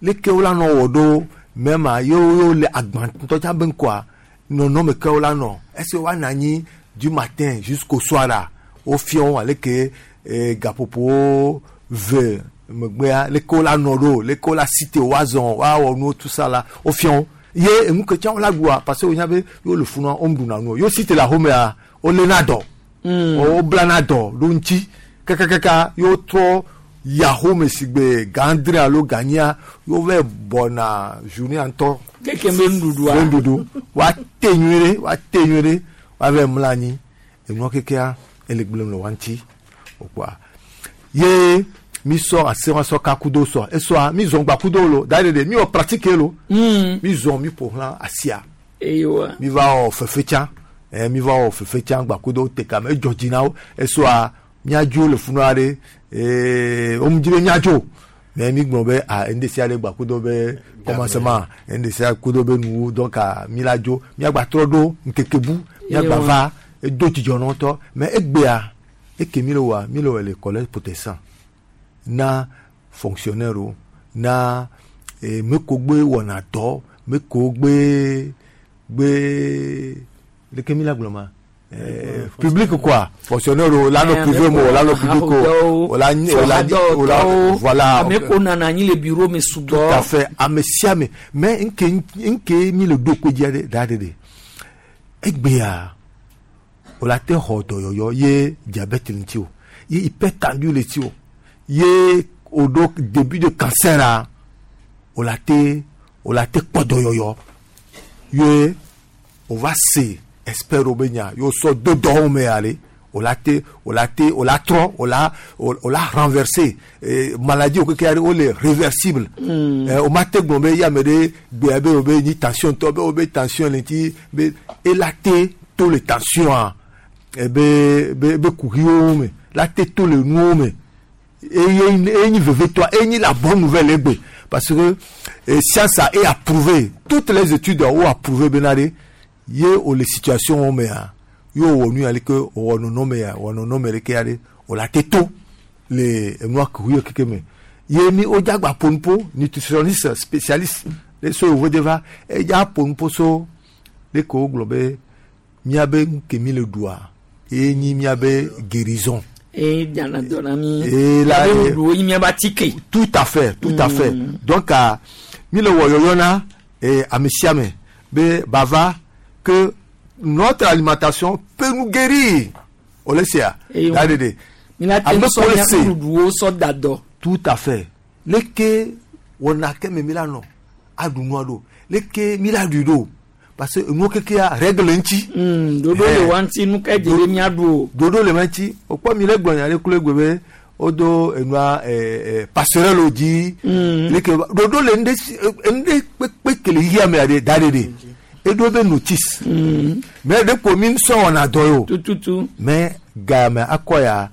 Leke wo la nɔ wɔ ɖo même a yo yo le agban ŋutɔ tsã be ŋkɔa nɔnɔme ke wo la nɔ. Est-ce que wa nɔ anyi du matin jusqu'au soir la wo fia wo aleke gaƒoƒo ve megbea leke wo la nɔ ɖo leke wo la cité wa zɔn wa wɔ nuwo tout ça la wo fia wo ye enu ke tsã wo la ɖua parce que wo nya be yewo le funua wo ɖuna nu o yewo cité le axomea wo léna dɔ wo blana dɔ ɖo ŋuti kakakaka yewo trɔ yi axome si gbe gãdre alo ganyia yewo va bɔna journée ŋutɔ. Keke be nuɖuɖua. Be nuɖuɖu wa te nyuie ɖe wa te nyuie ɖe wa va mla anyi enua kekea ele gblẽm le wa ŋuti o kpoa ye mi sɔ ase wa sɔ kakudo sɔ esɔa mi zɔn gbakudo lo da ɖe mi wɔ pratique lo mi zɔn mi ƒo xlã asia Eyiwa. mi va wɔ fefe tsã mi va wɔ fefe tsã gbakudo te kame edzɔ dzi na wo esɔa miadzo le funua ɖe wo mu dzi be miadzo mais mi gblɔ be a ŋde sia ɖe gbakudo be commencement ŋde sia kudo be nuwo donc mi la dzo miagba trɔ ɖo ŋkeke bu miagba va edo dzidzɔ na ŋutɔ mais egbea eke mi le wɔa mi le wɔ le collège protestant na fonctionnaire o na meko gbe wɔna dɔ meko gbe gbe leke mi la gblɔ ma public quoi fonctionnaire o la nɔ privé mo la nɔ public o o la o la o la voilà ame ko nana anyi le bureau me sugbɔ. Tout à fait ame sia ame mais nke nke mi le do kodzi aɖe da ɖe ɖe egbea o la te xɔ dɔyɔyɔ ye diabète ŋuti o ye hypertendu le ti o ye o ɖo début de cancer a o la te o la te kpɔ dɔyɔyɔ ye o va se expert wo be nya ye o sɔ do dɔwɔwo me ale O la te o la te o la trɔ o la o la renverser maladie wo keke o le réversible. O ma te gblɔ be ya me ɖe gbea be o be nyi tension tɔ be o be tension le ŋuti be ela te to le tension a be be be kuxiwo me la te to le nuwo me eye enyi vevetɔa enyi la bonne nouvelle egbe parce que science a e approuvé toutes les études ont approuvé bena ɖe ye o le situation wo mea ye o wɔ nu ya leke o wɔ nɔnɔme ya wɔ nɔnɔme ɖeke ya ɖe o la te to le enua kuxiwo keke me ye mi o dzagba ƒo nutritionniste spécialiste le so yevu de va edza ƒo nuƒo so leke wo gblɔ be miabe nu ke mi le ɖua ye nyi miabe guérison. E dzana dɔ na mi. Et là, Miabe nuɖuɖuwo nyi miabe atike. Tout à fait, tout à fait. Donc, mi le wɔ yɔyɔ na ame sia ame be bava que notre alimentation peut nous guérir. O le sea. Eh, Da de de. Mi la te Ame sɔ ko le miabe se. nuɖuɖuwo sɔ da dɔ. Tout à fait. Leke wɔna ke me mi la nɔ aɖu nua ɖo. Leke mi la ɖui ɖo. Parce que enuwo kekea règle ŋuti. Ɖoɖo le wa ŋuti nu ka dze be miaɖu o. Ɖoɖo le ma ŋuti. O kpɔ mi le gblɔ nya ɖe kple gbe be wodo enua passerelle wo dzi. Leke ɖoɖo le ŋɖe si ŋɖe kpekpe ke le xexea mea ɖe da ɖe ɖe. Eɖo be notice. Mais ɖe ko mi sɔ wɔna dɔ ye o. Tututu. Mais game akɔ ya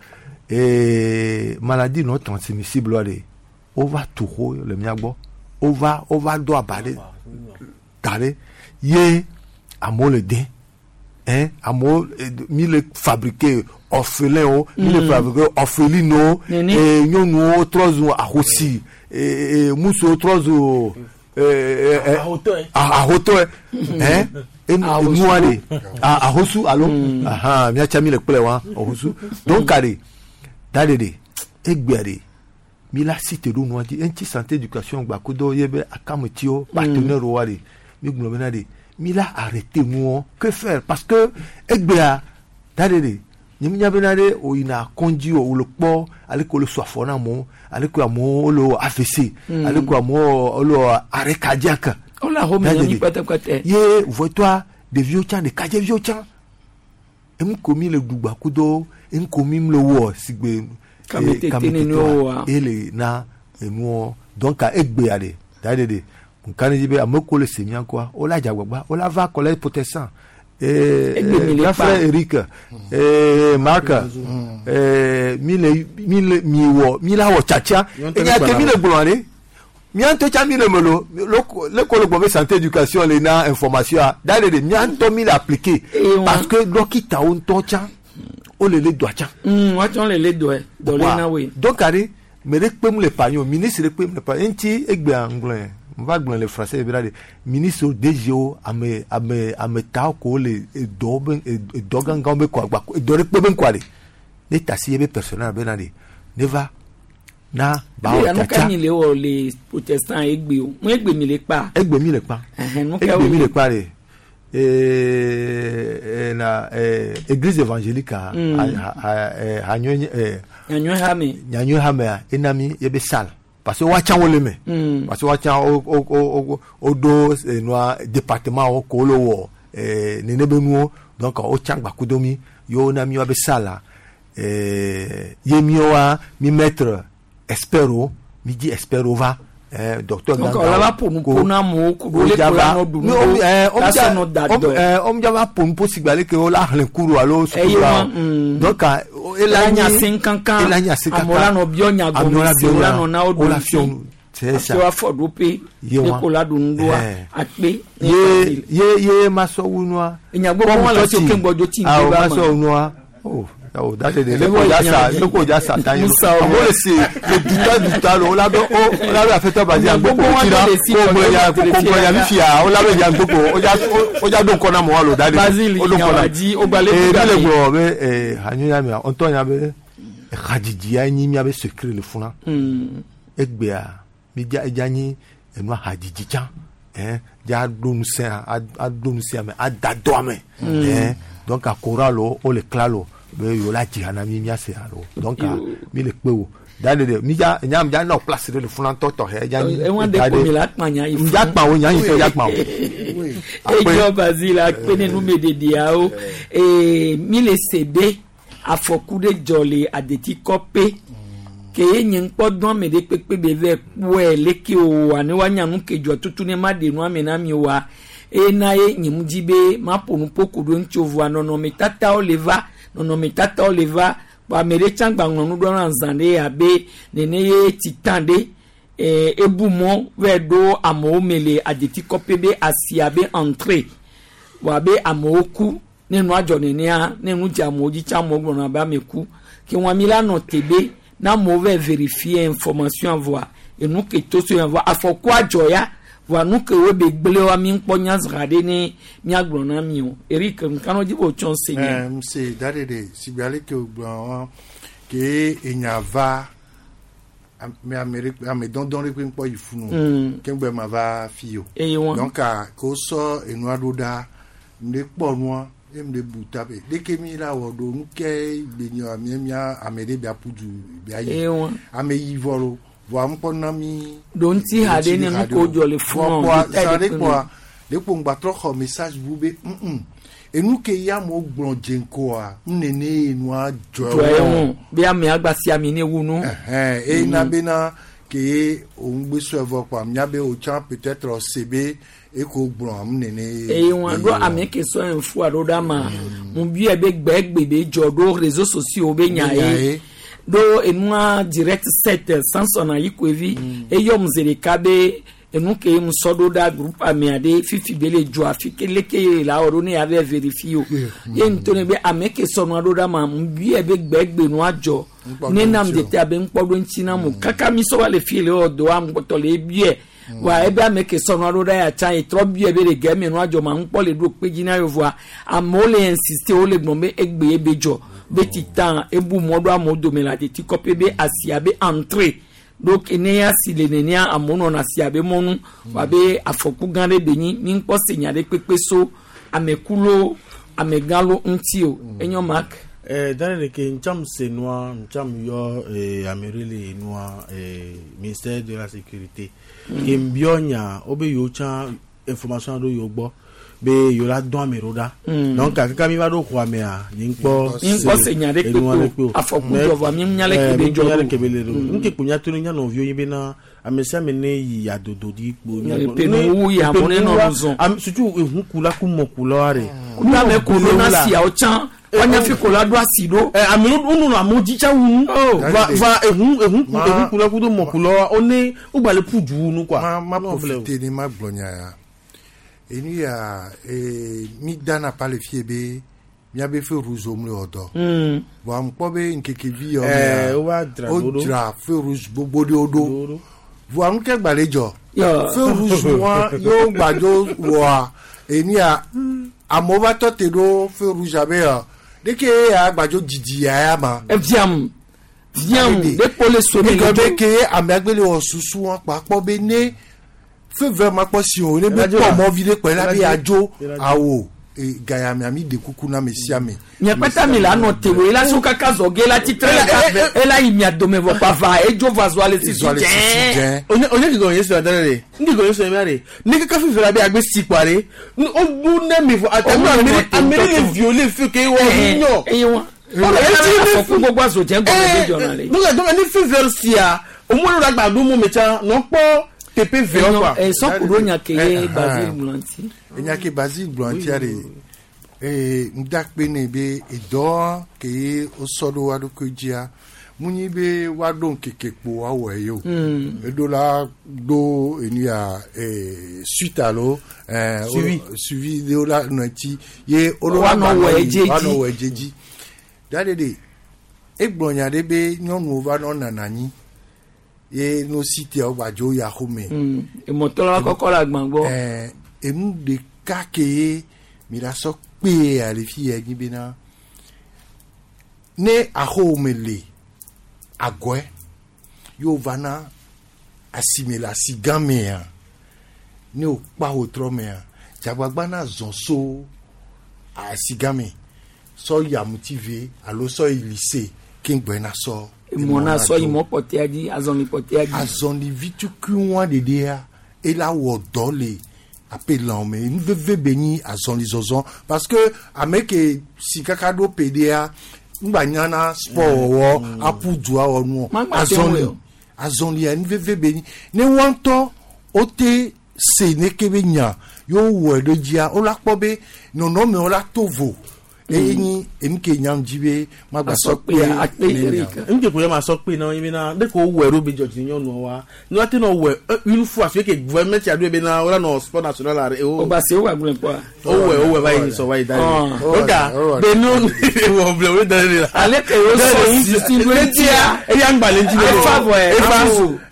maladie non transmissible wa ɖe wova tu xo le mía gbɔ wova wova do aba ɖe da ɖe ye amewo le de hein amewo mi le fabriquer orphelin wo mi le fabriquer orpheline wo Nene. nyɔnuwo trɔ zu ahosi musuwo trɔ zu Ahotɔe. ahotɔe hein enua de ahosu alo ahan miatsa mi le kplɛ wa ahosu donc de da de de egbea de mi la si te ɖo nua dzi eŋuti santé éducation gba kudo ye be akametiwo partenaire wa de mi gblɔ bena de mi la arrêté nuwo que faire parce que egbea da de de nye mi nya bena de o yina kɔndzi o wòle kpɔ ale ke wole sɔ afɔ na amewo ale ke amewo wole wɔ AVC ale ke amewo wole wɔ arrêt cardiaque Wole ahome Da na de mi de. kpɛtɛkpɛtɛ. Ye vɔtɔa ɖeviwo tsã ɖekadzeviwo tsã enu ko mi le ɖugba kudo enu ko mi le wɔ sigbe Kametete nene woa. ele na enuɔ donc egbea de da de de nka ne dzi be ame ko le se mía kɔa wola dze agbagba wola va collège protestant Egbe mi le grand kpa. frère Eric Marc mi le mi le mi wɔ mi la wɔ tsatsa Nyɔnu tɛ enya ne ke mi kpana le gblɔ de mía ŋutɔ tsã mi le me lo le ko le gbɔ be santé éducation le na information a da de de mía ŋutɔ mi le appliquer parce que dɔkitawo ŋutɔ tsã wole le dɔa tsã. Woatsɔ le le dɔe dɔ le na woe. Donc are me ɖe kpem le panyo ministre ɖe kpem le panyo eŋuti egbea ŋgblɔe n va gblɔ le français be la de ministre wo DG wo ame ame ame tawo ko le edɔwo be edɔ gãgãwo be kɔ agba edɔ ɖe kpe be ŋkɔa de ne tasi ye be personnel be na de ne va na ba Eya wɔ nu ka tsatsa mi le wɔ le protestant egbe o mu egbe mi le kpa. egbe mi le kpa Ɛhɛn, nu ka egbe mi wo le kpa de na église évangélique a hanyɔ Nyanyɔ hame. nyanyɔ hamea ena mi ye be salle parce que woatsã wo le me. Parce que woatsã wo wo wo wo ɖo enua département wo ko wole wɔ nene be nuwo donc wotsã gbakudo mi ye wona mi woabe salle la ye miwoa mi mettre expert wo mi dzi expert wo va docteur Donc gãgãwo wòle va ƒo nu ko- ƒo na amewo ku ɖo le wodza ko la va- nɔ ɖu Mi- nu wo- ɖo la womdza- sɔ nɔ da wom- dɔ. womdza va ƒo nu ƒo sigbe aleke wola xlẽ kuru alo Eye sukulu wa, la o. donc Ela nya se kankan. ela nya se Amewo kankan la nɔ biɔ nya Amewo gɔme la se biɔ wo la nya, nɔ na wo wo la ɖo fiɔ ŋuti. nu. C'est ça. Hafi woafɔ ɖoƒe Ye ne wa. ko la ɖu nu ɖoa Eh. akpe. ye ye ye masɔ wu nua. Enya gbogbo wọn le si oke ŋgbɔdzo tsi Awo ŋgbe ba masɔ me. wu nua. Oh, awo da de de Ebe ne ko ja sa nya- ne ko ja sa tan ye. Musa o. Amewo le se le duta duta lo wola be o wola be afetɔ ba di Nya agboko gbogbo wọn ti la le si ko ŋgɔ ya kɔdɔ ko le ŋgɔ ya fia. mi fia wola be ya gboko o ja o ja do ŋkɔ na mɔ wa lo da de. Basile O do ŋkɔ na. Nyawadi, o gba le Ee ku mi le game. gblɔ be hanyo ya mia ŋutɔ nya be hadzidzi ya nyi miabe secret le funa. Egbea mi dza edza nyi enua hadzidzi tsã ɛn dza ɖo ŋusẽ aɖo ŋusẽ ame ada dɔ ame ɛn donc akora lo wo le kla lo be yewo la dzi ha na mi miase ha lo donc mi le kpe wo da de de mi dza nya mi dza nɔ place ɖe le funa ŋutɔ tɔxɛ edza nyi Ewa de da ko mi la kpa nya yi mi dza kpa wo nya yi fɛ dza kpa wo. Edzɔ Basile akpe ne numeɖeɖeawo. Ee mi le se be Afɔku ɖe dzɔ le adetikɔpe. Ke ye nye ŋkpɔ dɔn ame ɖe kpekpe be vɛ kpɔe leke wòwɔa ne woanya nu ke dzɔ tutu ne ma ɖe nua me na mi oa. Eye na ye nye mu dzi be maƒo nu ƒo ku ɖo ŋuti o vɔa nɔnɔmetatawo le va nɔnɔmetatawo le va kpɔ ame ɖe tsã gba ŋlɔ nu ɖo na zã ɖe abe nene ye titan ɖe ebu mɔ vɛ ɖo amewo me le adetikɔpe be asia be entrée vɔ abe amewo ku ne nua dzɔ nenea ne nu dze amewo dzi tsã amewo gblɔna be ame ku ke wɔn mi la nɔ te be na amewo vɛ vérifier information vɔa enu ke to so ya vɔa afɔkua dzɔ ya vɔa nu ke wo be gblẽ wa mi ŋkpɔ nyazra ɖe ne miagblɔ na mi o Eric nkanu dzi bo tsɔ se nye. Ɛɛ se da ɖe ɖe sigbe ale ke wògblɔ wa ke enya va ame ame ɖe ame dɔndɔn ɖe ƒe ŋkpɔ yi funu ke ŋgbe ma va fi o. Eye wɔn. Donc ke wosɔ enua ɖo ɖa ŋɖe kpɔ nua ye ŋɖe bu ta be ɖeke mi la wɔ ɖo nu ke gbe nye mia mia ame ɖe bia ƒu du bia yi. Eye wɔn. Ame yi vɔ lo vɔa ŋkpɔ na mi. Ɖo ŋuti ha ɖe ne nu ko dzɔ le funu Vɔ kpɔa zã ɖe kpɔa ɖe kpo ŋgba trɔ xɔ message bu be enu ke ya amewo gblɔ dze ŋkɔa nene ye nua dzɔ dzɔ ye ŋu be ame agba si ami ne wu nu. Ɛhɛn eye na bena ke òun gbé sɔ evɔ kpɔa mía be o tsã peut-être se be eko gblɔ am nene. Eye wɔn ɖo ame ke sɔ info alo ɖe ama mu biɛ be gbɛgbe be dzɔ ɖo réseaux sociaux be nya ye ɖo enua direct set Samson Ayikoevi eyɔ mu zi ɖeka be enu ke mu sɔ ɖo ɖa groupe amea ɖe fifi be le dzɔ afi ke leke ye la wɔ ɖo ne ya vɛ vérifier o ye ŋutɔ ne be ame ke sɔ nua ɖo ɖa ma mu biɛ be gbɛgbe nua dzɔ ne nam de te abe ŋkpɔ ɖo ŋuti na mu kaka mi sɔ va le fi le wɔ dɔ wa ŋkpɔtɔ le biɛ wa ebe ame ke sɔ nua ɖo ɖa ya tsã ye trɔ biɛ be le gɛ me nua dzɔ ma ŋkpɔ le ɖo kpe dzi na yevoa amewo le insister wo le gblɔm be egbe ye be dzɔ be titan ebu mɔ ɖo amewo dome le adeti kɔpe be asia be entrée donc ne ya si le nenea amewo nɔna asia be mɔnu wa be afɔku gã ɖe be nyi mi ŋkpɔ se nya ɖe kpekpe so amekulo amegãlo ŋuti o enyo mak. Dane de ke ntsam se nua ntsam yɔ ame ɖe le nua ministère de la sécurité ke nbiɔ nya wo be yewo tsã information ɖo yewo gbɔ be yewo la dɔn ame ɖo ɖa. Donc kaka mi va ɖo xɔa mea nye ŋkpɔ Mi ŋkpɔ se nya ɖe kpekpe o. Afɔku dzɔ vɔa mi nya leke be dzɔ nya ɖo. leke be le ɖo. Nu ke kpo nya to ne nya nɔviwo nye bena ame sia ame ne yi adodo di kpo. Epe nuwu yi amewo ne nɔ nu zɔn. Am surtout ehukula ku mɔkulawo ɖe. Kudu ame ko ɖo na siawo tsã woanya fi ko la ɖo asi ɖo. Ɛ ame wo nɔnɔ amewo dzi tsa wu nu. Va va ehu ehu ku ehukula kudo mɔkulawo wo ne wo gba le ƒu du wu nu quoi. Ma ma profiter ne ma gblɔ nya ya. Enu ya mi dana pa le fie be miabe feu rouge wo mle wɔ dɔ. Vɔa ŋkpɔ be ŋkeke vi yɔ mea, Wo va dzra wo ɖo ɖo. dzra feu rouge gbogbo ɖewo ɖo. Vɔa nu ke gba le dzɔ. Yɔ. Feu rouge wa yewo gba dzo wɔa enu ya amewo va tɔ te ɖo feu rouge abe yɔ ɖeke ya gba dzo didi ya ya ma. Eviam viam ɖe kpo le so mi Egɔ le be ke amea gbe le wɔ susu wa kpa kpɔ be ne feu vert ma kpɔ si o ne be Eladzo kpɔ la. mɔ vi ɖe kpɔ la be Eladzo. adzo Eladzo. awo e gayamea mi de kuku na ame sia ame. Miakpata mi la nɔ te wo ela so kaka zɔ ge la tsitre la ela yi mia dome vɔ kpava edzo va zɔ ale sisi Zɔ ale sisi dzɛ. dzɛ. Onye onye kigɔ yesu adane de ndi gɔ yesu emia de ne kaka fifi la be agbe si kpa de o bu ne mi fɔ ata mi O ameri nɔ te ameri le ŋutɔ. violer feu ke wɔ nyɔ. Eye wa. Ɔlɔ Afɔku gbogbo azo dze gɔme be dzɔna le. Donc donc ne feu vert sia o mo le gba do mo me tsã nɔ kpɔ tepe vert quoi. Sɔku ɖo nya ke ye Basile gblɔ ŋuti. Enya ke Basile gblɔ ŋutia de ee ŋdakpe ne be edɔ ke ye wosɔ ɖo wa ɖokui dzia mu nyi be woaɖo ŋkeke kpo woawɔe ye o. Eɖo la ɖo enu ya suite alo Suivi. Suivi ɖewo la nɔ ŋuti ye woɖo la Woanɔ gba wɔe nɔ yi, edziedzi. woanɔ wɔe edziedzi. Da ɖe ɖe egblɔ nya ɖe be nyɔnuwo va nɔ nana anyi ye no si tea wo gba dzo yi axome. Emɔtɔ la kɔkɔ le agba gbɔ. Enu ɖeka ke ye mi la sɔ kpee ya le fi ya nyi bena ne axome le agɔe ye wo va na asime le asi gã mea ne wo kpa wo trɔ mea dzagbagba na zɔ so asi gã me sɔ yi amutive alo sɔ yi lycée ke ŋgbɛ na sɔ Emɔ na sɔ yi dzo. mɔ kpɔtɛa dzi azɔli kpɔtɛa dzi. Azɔli vitukui wa ɖeɖea ela wɔ dɔ le ape lãwo me nu veve be nyi azɔli zɔzɔ parce que ame ke si kaka ɖo pe ɖea ŋgba nyana sport wɔwɔ aƒu du awɔ nuɔ Ma gba te azɔli ŋu o. azɔlia nu veve be nyi ne wɔn ŋutɔ wote se neke be nya yewo wɔe ɖe dzia wola kpɔ be nɔnɔmewo la to vo eye nyi enu ke nyam dzi be magba sɔ kpe ne nya. Nke ko ya ma sɔ kpe na yi bena ne ko wɔ ɖo be dzɔdzi nyɔnua wa ne wa te nɔ wɔ une fois fi ke gouvernement tia ɖo bena wala nɔ sport national la o. O ba se o wa gblẽ kpɔa. O wɛ o wɛ va yi sɔ va yi da Ah. yi. O ka be nu wɔ ble o da de la. Ale ke o sɔ sisi lo tia. Eya ŋgba le ŋuti Efa vɔ yɛ. Efa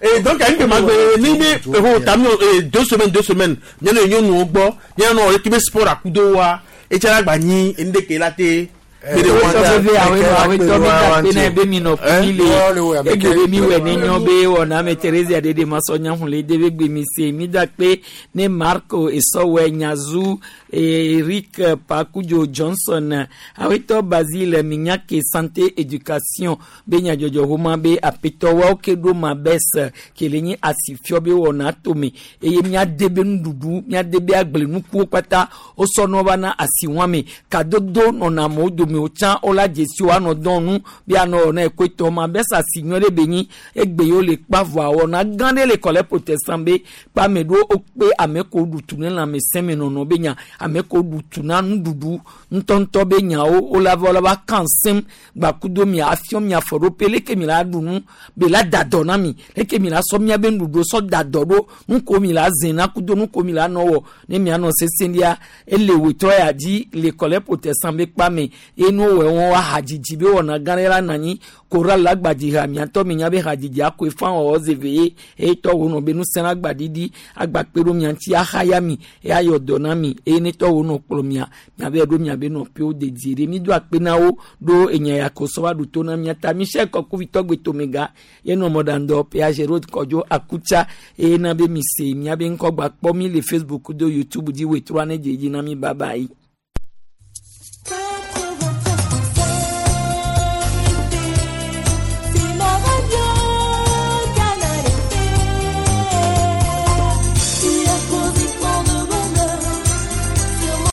et donc anyi ke ma gbe ni be eho tami 2 semaines 2 semaines nyɔnu nyɔnuwo gbɔ nyɔnu équipe sport akudo wa etsa la gba nyi enu de ke la te. Awetɔ veve awetɔ awetɔ mi da pe na be mi nɔ kumi le egbe be mi wɛ ne nyɔ be wɔna ame Theresia ɖeɖe ma sɔ nya hun le de be gbe mi se mi da kpe ne Marco Esɔwɛ Nyazu Eric Pakudzo Johnson awetɔ Basile Minyake santé éducation be nyadzɔdzɔ homa be apetɔ wawo ke ɖo ma bes ke le nyi asifiɔ be wɔna tome eye miade be nuɖuɖu miade be agblenukuwo kpata wosɔ va na asiwɔame kadodo nɔna amewo dome wotsã wola dzesi wo anɔ dɔn nu be anɔ wɔna ekoetɔ ma bes asi nyɔ ɖe be nyi egbe yiwo le kpa vɔa wɔna gã ɖe le kɔlɛ protestant be kpa ame ɖewo wokpe ame ko ɖu tu ne lãmesẽ me nɔnɔ be nya ame ko ɖu tu na nuɖuɖu ŋutɔŋutɔ be nyawo wola va wola va kan sem gbakudo mia afiɔ mia afɔ ɖo pe leke mi la ɖu nu be la da dɔ na mi leke mi la sɔ mia be nuɖuɖu sɔ da dɔ ɖo nuko mi la zẽ na kudo nuko mi la nɔ wɔ ne mia nɔ sese lia ele wetrɔ ya dzi le kɔlɛ protestant be kpa me ye nu wɔ wɔn wa hadzidzi be wɔna gã ɖe la nɔ anyi koral la gbadzi ha miatɔ mi nya be hadzidzi akoe fa wɔwɔ zeve ye eye tɔ wo nɔ be nusẽ la gbaɖiɖi agbakpe ɖo mia ŋuti ahaya mi eye ayɔ dɔ na mi eye ne tɔ wo nɔ kplɔ mia miabe ɖo miabe nɔƒewo dedie ɖe mi do akpe na wo ɖo enya ya ko sɔ va ɖu to na mia ta michel kɔkuvitɔ gbetomega ye nɔ mɔɖaŋdɔ ph road kɔdzo akutsa eye na be mi se miabe ŋkɔ gba kpɔ mi le Facebook do YouTube dzi wetrɔa ne dze dzi na mi bye bye.